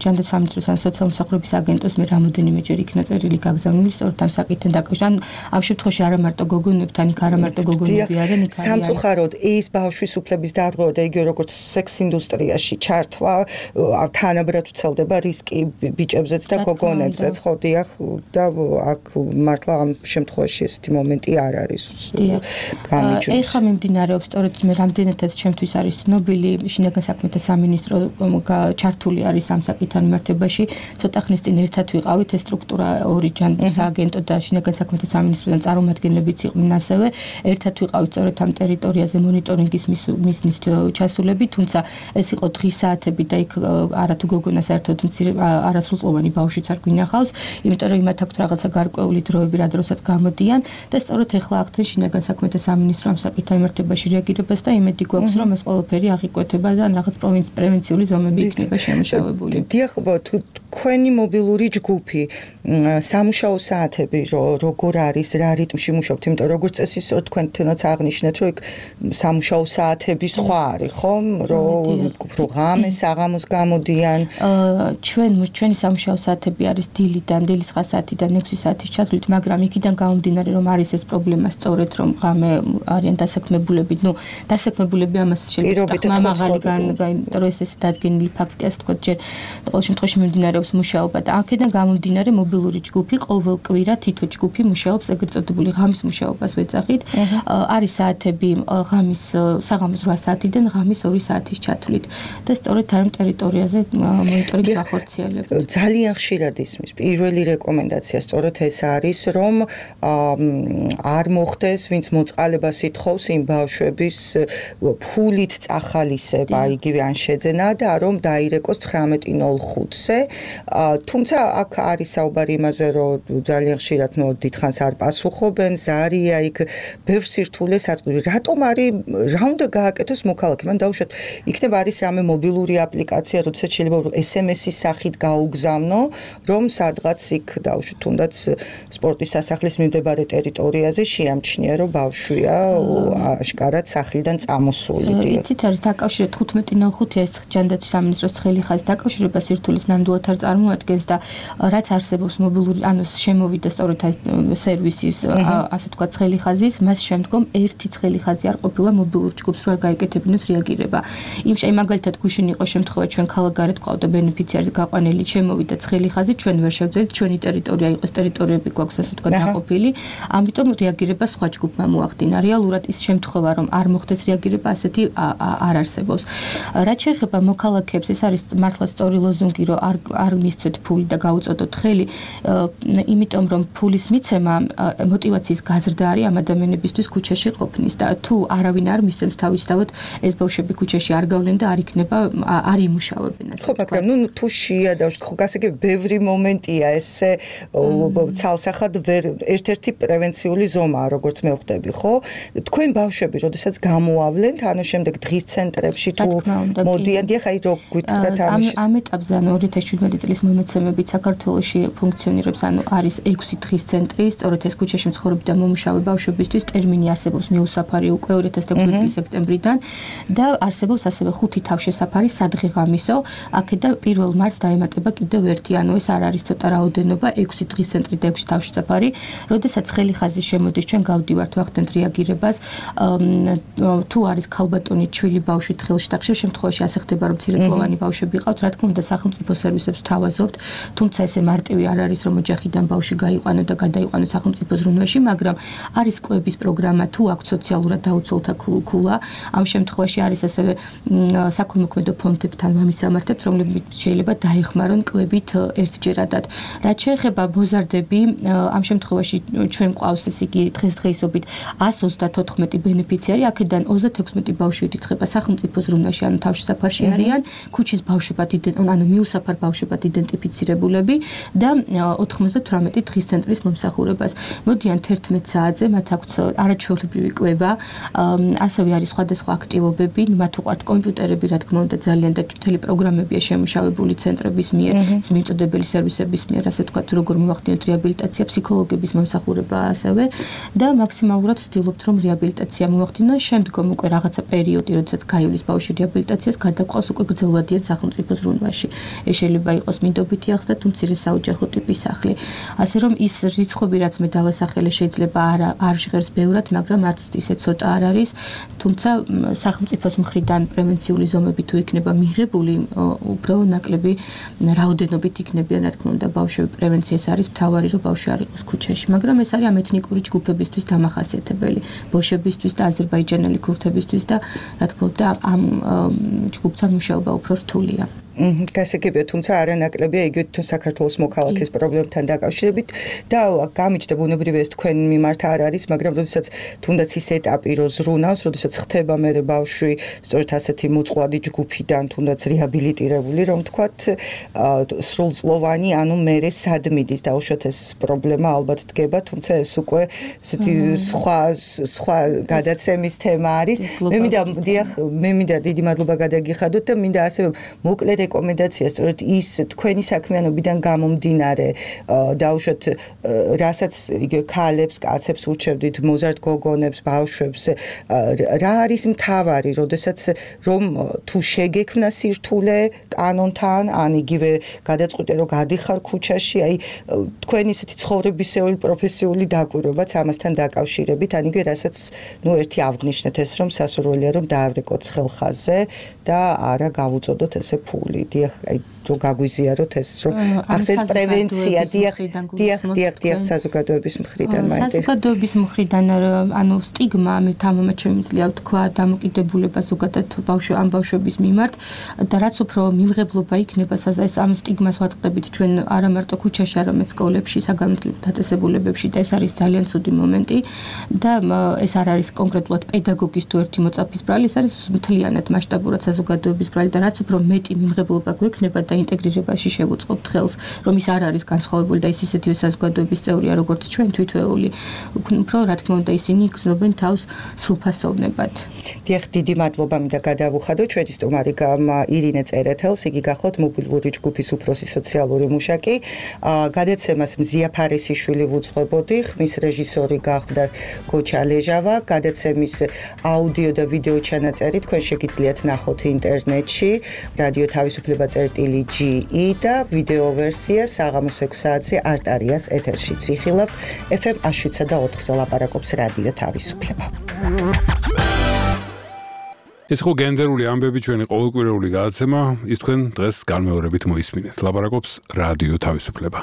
ჯანდაცვის სამინისტროს ან სოციალურ-მსახურების აგენტოს მე რამოდენიმეჯერ იქნა წერილი გაგზავნილი სწორედ ამ საკითხთან დაკავშირებით. ამ შემთხვევაში არა მარტო გოგონებთან, იქ არა მარტო გოგონები არიან, იქ არიან სამწუხაროდ ის ბავშვის უფლების დარღვევა და იგივე როგორც სექს ინდუსტრიაში ჩართვა თანაბრად ვრცელდება რისკი ბიჭებზეც და გოგონებზეც, ხო დიახ და აქ მართლა ამ შემთხვევაში ესეთი მომენტი არ არის გამიჯვნის. ეხლა მიმდინარეობს სწორედ მე რამდენადაც ჩემთვის არის ცნობილი შინაგან საქმეთა სამინისტრო ჩართული არის ამ საკითხთან მიმართებაში. ცოტა ხნის წინ ერთად ვიყავით ეს სტრუქტურა ორი ჯანდაცვის სააგენტო და შინაგან საქმეთა სამინისტროდან წარმომადგენლებიც იყვნენ ასევე. ერთად ვიყავით სწორედ ამ ტერიტორიაზე მონიტორინგის მისნის ჩასულები, თუმცა ეს იყო დღის საათები და იქ არათუ გოგონა საერთოდ არასრულწლოვანი ბავშვიც არ გვინახავს, იმიტომ რომ იმათ აქვთ რაღაცა გარკვეული დროები, რა დროსაც გამოდიან და სწორედ ეხლა ახდენ შინაგან საქმეთა სამინისტრო ამ საკითხთან მიმართებაში რეაგირებას და იმედი გვაქვს რომ ეს ყველაფერი აღიკვეთება და რაღაც პრევენციული ზომები იქნება შემუშავებული. დიახ, თქვენი მობილური ჯგუფი სამუშაო საათები როგორ არის, რა რიტმში მუშაობთ, იმიტომ როგორც წესი სწორედ თქვენთანაც აღნიშნეთ, რომ იქ სამუშაო საათები სხვა არის, ხომ? რომ ღამე საღამოს გამოდიან. ჩვენი სამუშაო საათები არის დილიდან, დილის 9 საათიდან 6 საათის ჩათვლით, მაგრამ იქიდან გამომდინარე რომ არის ეს პრობლემა სწორედ რომ ღამე არიან დასაქმებულები, დასაქმებულები ამას შეიძლება მაღალი რომ ეს დადგენილი ფაქტია, ასე თქვა, ჯერ ყოველ შემთხვევაში მიმდინარეობს მუშაობა და აქედან გამომდინარე მობილური ჯგუფი ყოველ კვირა თითო ჯგუფი მუშაობს ეგრეთ წოდებული ღამის მუშაობას ვეძახით. არის საათები ღამის საღამოს 8 საათიდან ღამის 2 საათის ჩათვლით და სწორედ ამ ტერიტორიაზე მონიტორინგი გახორციელებს. ძალიან ხშირად ისმის პირველი რეკომენდაცია სწორედ ეს არის, რომ არ მოხდეს ვინც მოწყალებას ითხოვს იმ ბავშვების ფულით წახალისება, იგივე ან შეძენა და რომ დაირეკოს 19:05-ზე. თუმცა აქ არის საუბარი იმაზე, რომ ძალიან ხშირად დიდხანს არ პასუხობენ, ზარია იქ ბევრ სირთულეს აწყვეტს. რატომ არის რა უნდა გააკეთოს მოქალაქემ? ან დაუშვათ, იქნება არის რამე მობილური აპლიკაცია, როდესაც შეიძლება SMS-ის სახით გაუგზავნო, რომ სადღაც იქ დაუშვათ, თუნდაც სპორტის სასახლის მიმდებარე ტერიტორიაზე შეამჩნია, რომ ბავშვია აშკარად სახლიდან წამოსული. იცით, არის დაკავშირება 15:05 ეს ჯანდაცვის სამინისტროს ცხელი ხაზი დაკავშირება სირთულის ნამდვილად არ წარმოადგენს და რაც არსებობს მობილური ანუ შემოვიდა სწორედ ეს სერვისის ასე თქვა ცხელი ხაზის, მას შემდგომ ერთი ცხელი ხაზი არ ყოფილა მობილურ ჯგუფს რო არ გაიკეთებინოს რეაგირება. იმ მაგალითად გუშინ იყო შემთხვევა ჩვენ ქალაქგარეთ ყავდა ბენეფიციარზე გაყვანილი შემოვიდა ცხელი ხაზი, ჩვენ ვერ შევძელით, ჩვენი ტერიტორია იყო, ტერიტორიები გვაქვს ასე თქვა დაყოფილი, ამიტომ რეაგირება სხვა ჯგუფმა მოახდინა. რეალურად ის შემთხვევა რომ არ მოხდეს რეაგირება ასეთი არ არსებობს. რაც შეეხება მოქალაქეებს, ეს არის მართლა სწორი ლოზუნგი, რომ არ მისცეთ ფული და გაუწოდოთ ხელი, იმიტომ რომ ფულის მიცემა мотиваციის გაზრდა არის ამ ადამიანებისთვის ქუჩაში ყოფნის და თუ არავინ არ მისცემს თავისთავად ეს ბავშვები ქუჩაში არ გავლენ და არ იქნება არ იმუშავებენ ასე. ხო, მაგრამ თუ შეადავთ, ხო, გასაგები ბევრი მომენტია ესე ცალსახად ერთ-ერთი პრევენციული ზომაა, როგორც მე ვხვდები, ხო? თქვენ ბავშვები, როდესაც გამოავლენთ, ანუ შემდეგ დღის ცენტრებში თუ მოდიან, დიახ, აი რო გითხრათ ამ ეტაპზე, ანუ 2017 წლის მონაცემებით საქართველოში ფუნქციონირებს, ანუ არის 6 დღის ცენტრი, სწორედ ეს ქუჩაში მცხოვრები და მომუშავე ბავშვებისთვის ტერმინი არსებობს მიუსაფარი უკვე 2016 წლის სექტემბრიდან და არსებობს ასევე 5 თავშესაფარი სადღეღამისო, აქედან 1 მარტს დაემატება კიდევ ერთი, ანუ ეს არ არის ცოტა რაოდენობა, 6 დღის ცენტრი და 6 თავშესაფარი, როდესაც ხელი ხაზი შემოდის, ჩვენ გავდივართ ვახდენთ რეაგირებას, თუ არის ქალბატონი ჩვილი ბავშვი თხილშტახში, შემთხვევაში ასე ხდება, რომ მცირეწლოვანი ბავშვები ყავთ, რა თქმა უნდა, სახელმწიფო სერვისებს თავაზობთ, თუმცა ესე მარტივი არ არის, რომ ოჯახიდან ბავშვი გაიყვანო და გადაიყვანო სახელმწიფო ზრუნვაში, მაგრამ არის კვების პროგრამა, თუ აქვს სოციალურად დაუცველთა ქულა, ამ შემთხვევაში არის ასევე საქველმოქმედო ფონდებთან მამისამართებთ, რომლებიც შეიძლება დაეხმარონ კვებით ერთჯერადად. რაც შეეხება ბოზარდები, ამ შემთხვევაში ჩვენ ყავს ეს იგი დღესდღეობით 134 ბენეფიციარი, აქედან 36 ბავშვი ირიცხება სახელმწიფო ზრუნვაში, ანუ თავშესაფარში საფარში არიან, ქუჩის ბავშვებად ანუ მიუსაფარ ბავშვებად იდენტიფიცირებულები და 98 დღის ცენტრის მომსახურებას. მოდიან 11 საათზე, მათ აქვთ არაჩვეულებრივი კვება, ასევე არის სხვადასხვა აქტივობები, მათ უყვართ კომპიუტერები, რა თქმა უნდა, ძალიან და მთელი პროგრამებია შემუშავებული ცენტრების მიერ, მიმწოდებელი სერვისების მიერ, ასე ვთქვათ, როგორ მივახდინოთ რეაბილიტაცია, ფსიქოლოგების მომსახურება ასევე და მაქსიმალურად ვცდილობთ, რომ რეაბილიტაცია მივახდინოთ, შემდგომ უკვე რაღაცა პერიოდი, როდესაც გაივლის ბავშვი რეაბილიტაციას, გადაყავს უკვე გრძელვადიან სახელმწიფოს ზრუნვაში. ეს შეიძლება იყოს მინდობითი ახსნა თუ მცირე საოჯახო ტიპის სახლი. ასე რომ ის რიცხვები, რაც მე დავასახელე, შეიძლება არ ჟღერს ბევრად, მაგრამ არც ისე ცოტა არ არის, თუმცა სახელმწიფოს მხრიდან პრევენციული ზომები თუ იქნება მიღებული, უფრო ნაკლები რაოდენობით იქნებიან, რა თქმა უნდა, ბავშვები პრევენციას არის მთავარი, რომ ბავშვი არ იყოს ქუჩაში, მაგრამ ეს არის ამ ეთნიკური ჯგუფებისთვის დამახასიათებელი, ბოშებისთვის და აზერბაიჯანელი ქურთებისთვის და რა თქმა უნდა, ამ ჯგუფთან მუშაობა უფრო რთულია. გასაგებია, თუმცა არანაკლებია იგივე თუ საქართველოს მოქალაქის პრობლემთან დაკავშირებით და გამიჩნდა ბუნებრივია ეს თქვენ მიმართ არ არის, მაგრამ როდესაც თუნდაც ის ეტაპი რო ზრუნავს, როდესაც ხდება მე ბავშვი სწორედ ასეთი მოწყვლადი ჯგუფიდან თუნდაც რეაბილიტირებული, რომ თქვათ სრულწლოვანი, ანუ მე სად მიდის დაუშვათ ეს პრობლემა ალბათ დგება, თუმცა ეს უკვე ესეთი სხვა გადაცემის თემა არის. მე მინდა დიდი მადლობა გადაგიხადოთ და მინდა ასევე მოკლე რეკომენდაცია სწორედ ის თქვენი საქმიანობიდან გამომდინარე დაუშვათ რასაც იგივე ქალებს, კაცებს ურჩევდით, მოზარდ გოგონებს, ბავშვებს, რა არის მთავარი, როდესაც რომ თუ შეგექმნა სირთულე კანონთან, ან იგივე გადაწყვიტე რომ გადიხარ ქუჩაში, აი თქვენი ისეთი ცხოვრებისეული პროფესიული დაკვირვებაც ამასთან დაკავშირებით, ან იგივე რასაც ერთი აღნიშნეთ ეს რომ სასურველია რომ დაავრეკოთ ხელხაზზე და არა გავუწოდოთ ესე ფული. დიახ, აი რომ გაგვიზიაროთ ეს რომ ახსენეთ პრევენცია, დიახ, საზოგადოების მხრიდან მაინტერესებს. საზოგადოების მხრიდან ანუ სტიგმა, მე თამამად შემიძლია ვთქვა, დამოკიდებულება ზოგადად ამ ბავშვების მიმართ და რაც უფრო მიმღებლობა იქნება ეს ამ სტიგმას ვაწყდებით ჩვენ არა მარტო ქუჩაში, არამედ სკოლებში, საგანმანათლებლო დაწესებულებებში და ეს არის ძალიან ცუდი მომენტი და ეს არ არის კონკრეტულად პედაგოგის თუ ერთი მოწაფის ბრალი, ეს არის მთლიანად მასშტაბურად საზოგადოების ბრალი და რაც უფრო მეტი მიმღებლობა გვექნება და ინტეგრირებაში შევუწყობთ ხელს, რომ ის არ არის განსხვავებული და ის ისეთივე საზოგადოების წევრია, როგორც ჩვენ თვითვეული, უფრო რა თქმა უნდა ისინი იგრძნობენ თავს სრულფასოვნებად. დიახ, დიდი მადლობა მინდა გადავუხადო ჩვენი სტუმარი ირინე წერეთელს, იგი გახლავთ მობილური ჯგუფის უფროსი სოციალური მუშაკი. გადაცემას მზია ფარისიშვილი ვუძღვებოდი, ხმის რეჟისორი გახდა გოჩა ლეჟავა. გადაცემის აუდიო და ვიდეო ჩანაწერი თქვენ შეგიძლიათ ნახოთ ინტერნეტში, რადიო თავისუფლება წერტილი.ge და ვიდეო ვერსია საღამოს 6 საათზე არტარიას ეთერში ციხილავთ. FM 107.4-ზე ლაპარაკობს რადიო თავისუფლება. ეს ხო გენდერული ამბები ჩვენი ყოველკვირეული გადაცემა, ის თქვენ დღეს განმეორებით მოისმინეთ. ლაპარაკობს რადიო თავისუფლება.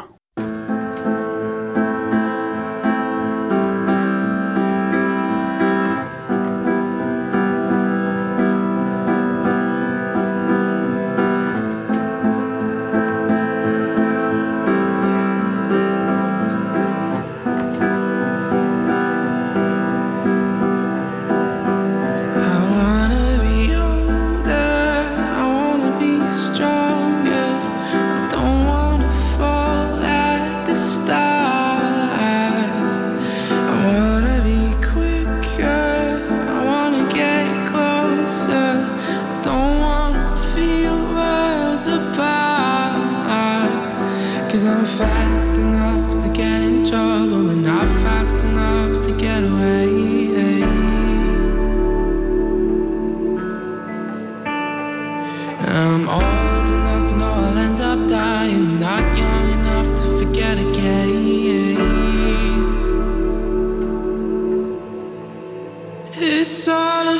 Fast enough to get in trouble, but not fast enough to get away. And I'm old enough to know I'll end up dying, not young enough to forget again. It's all a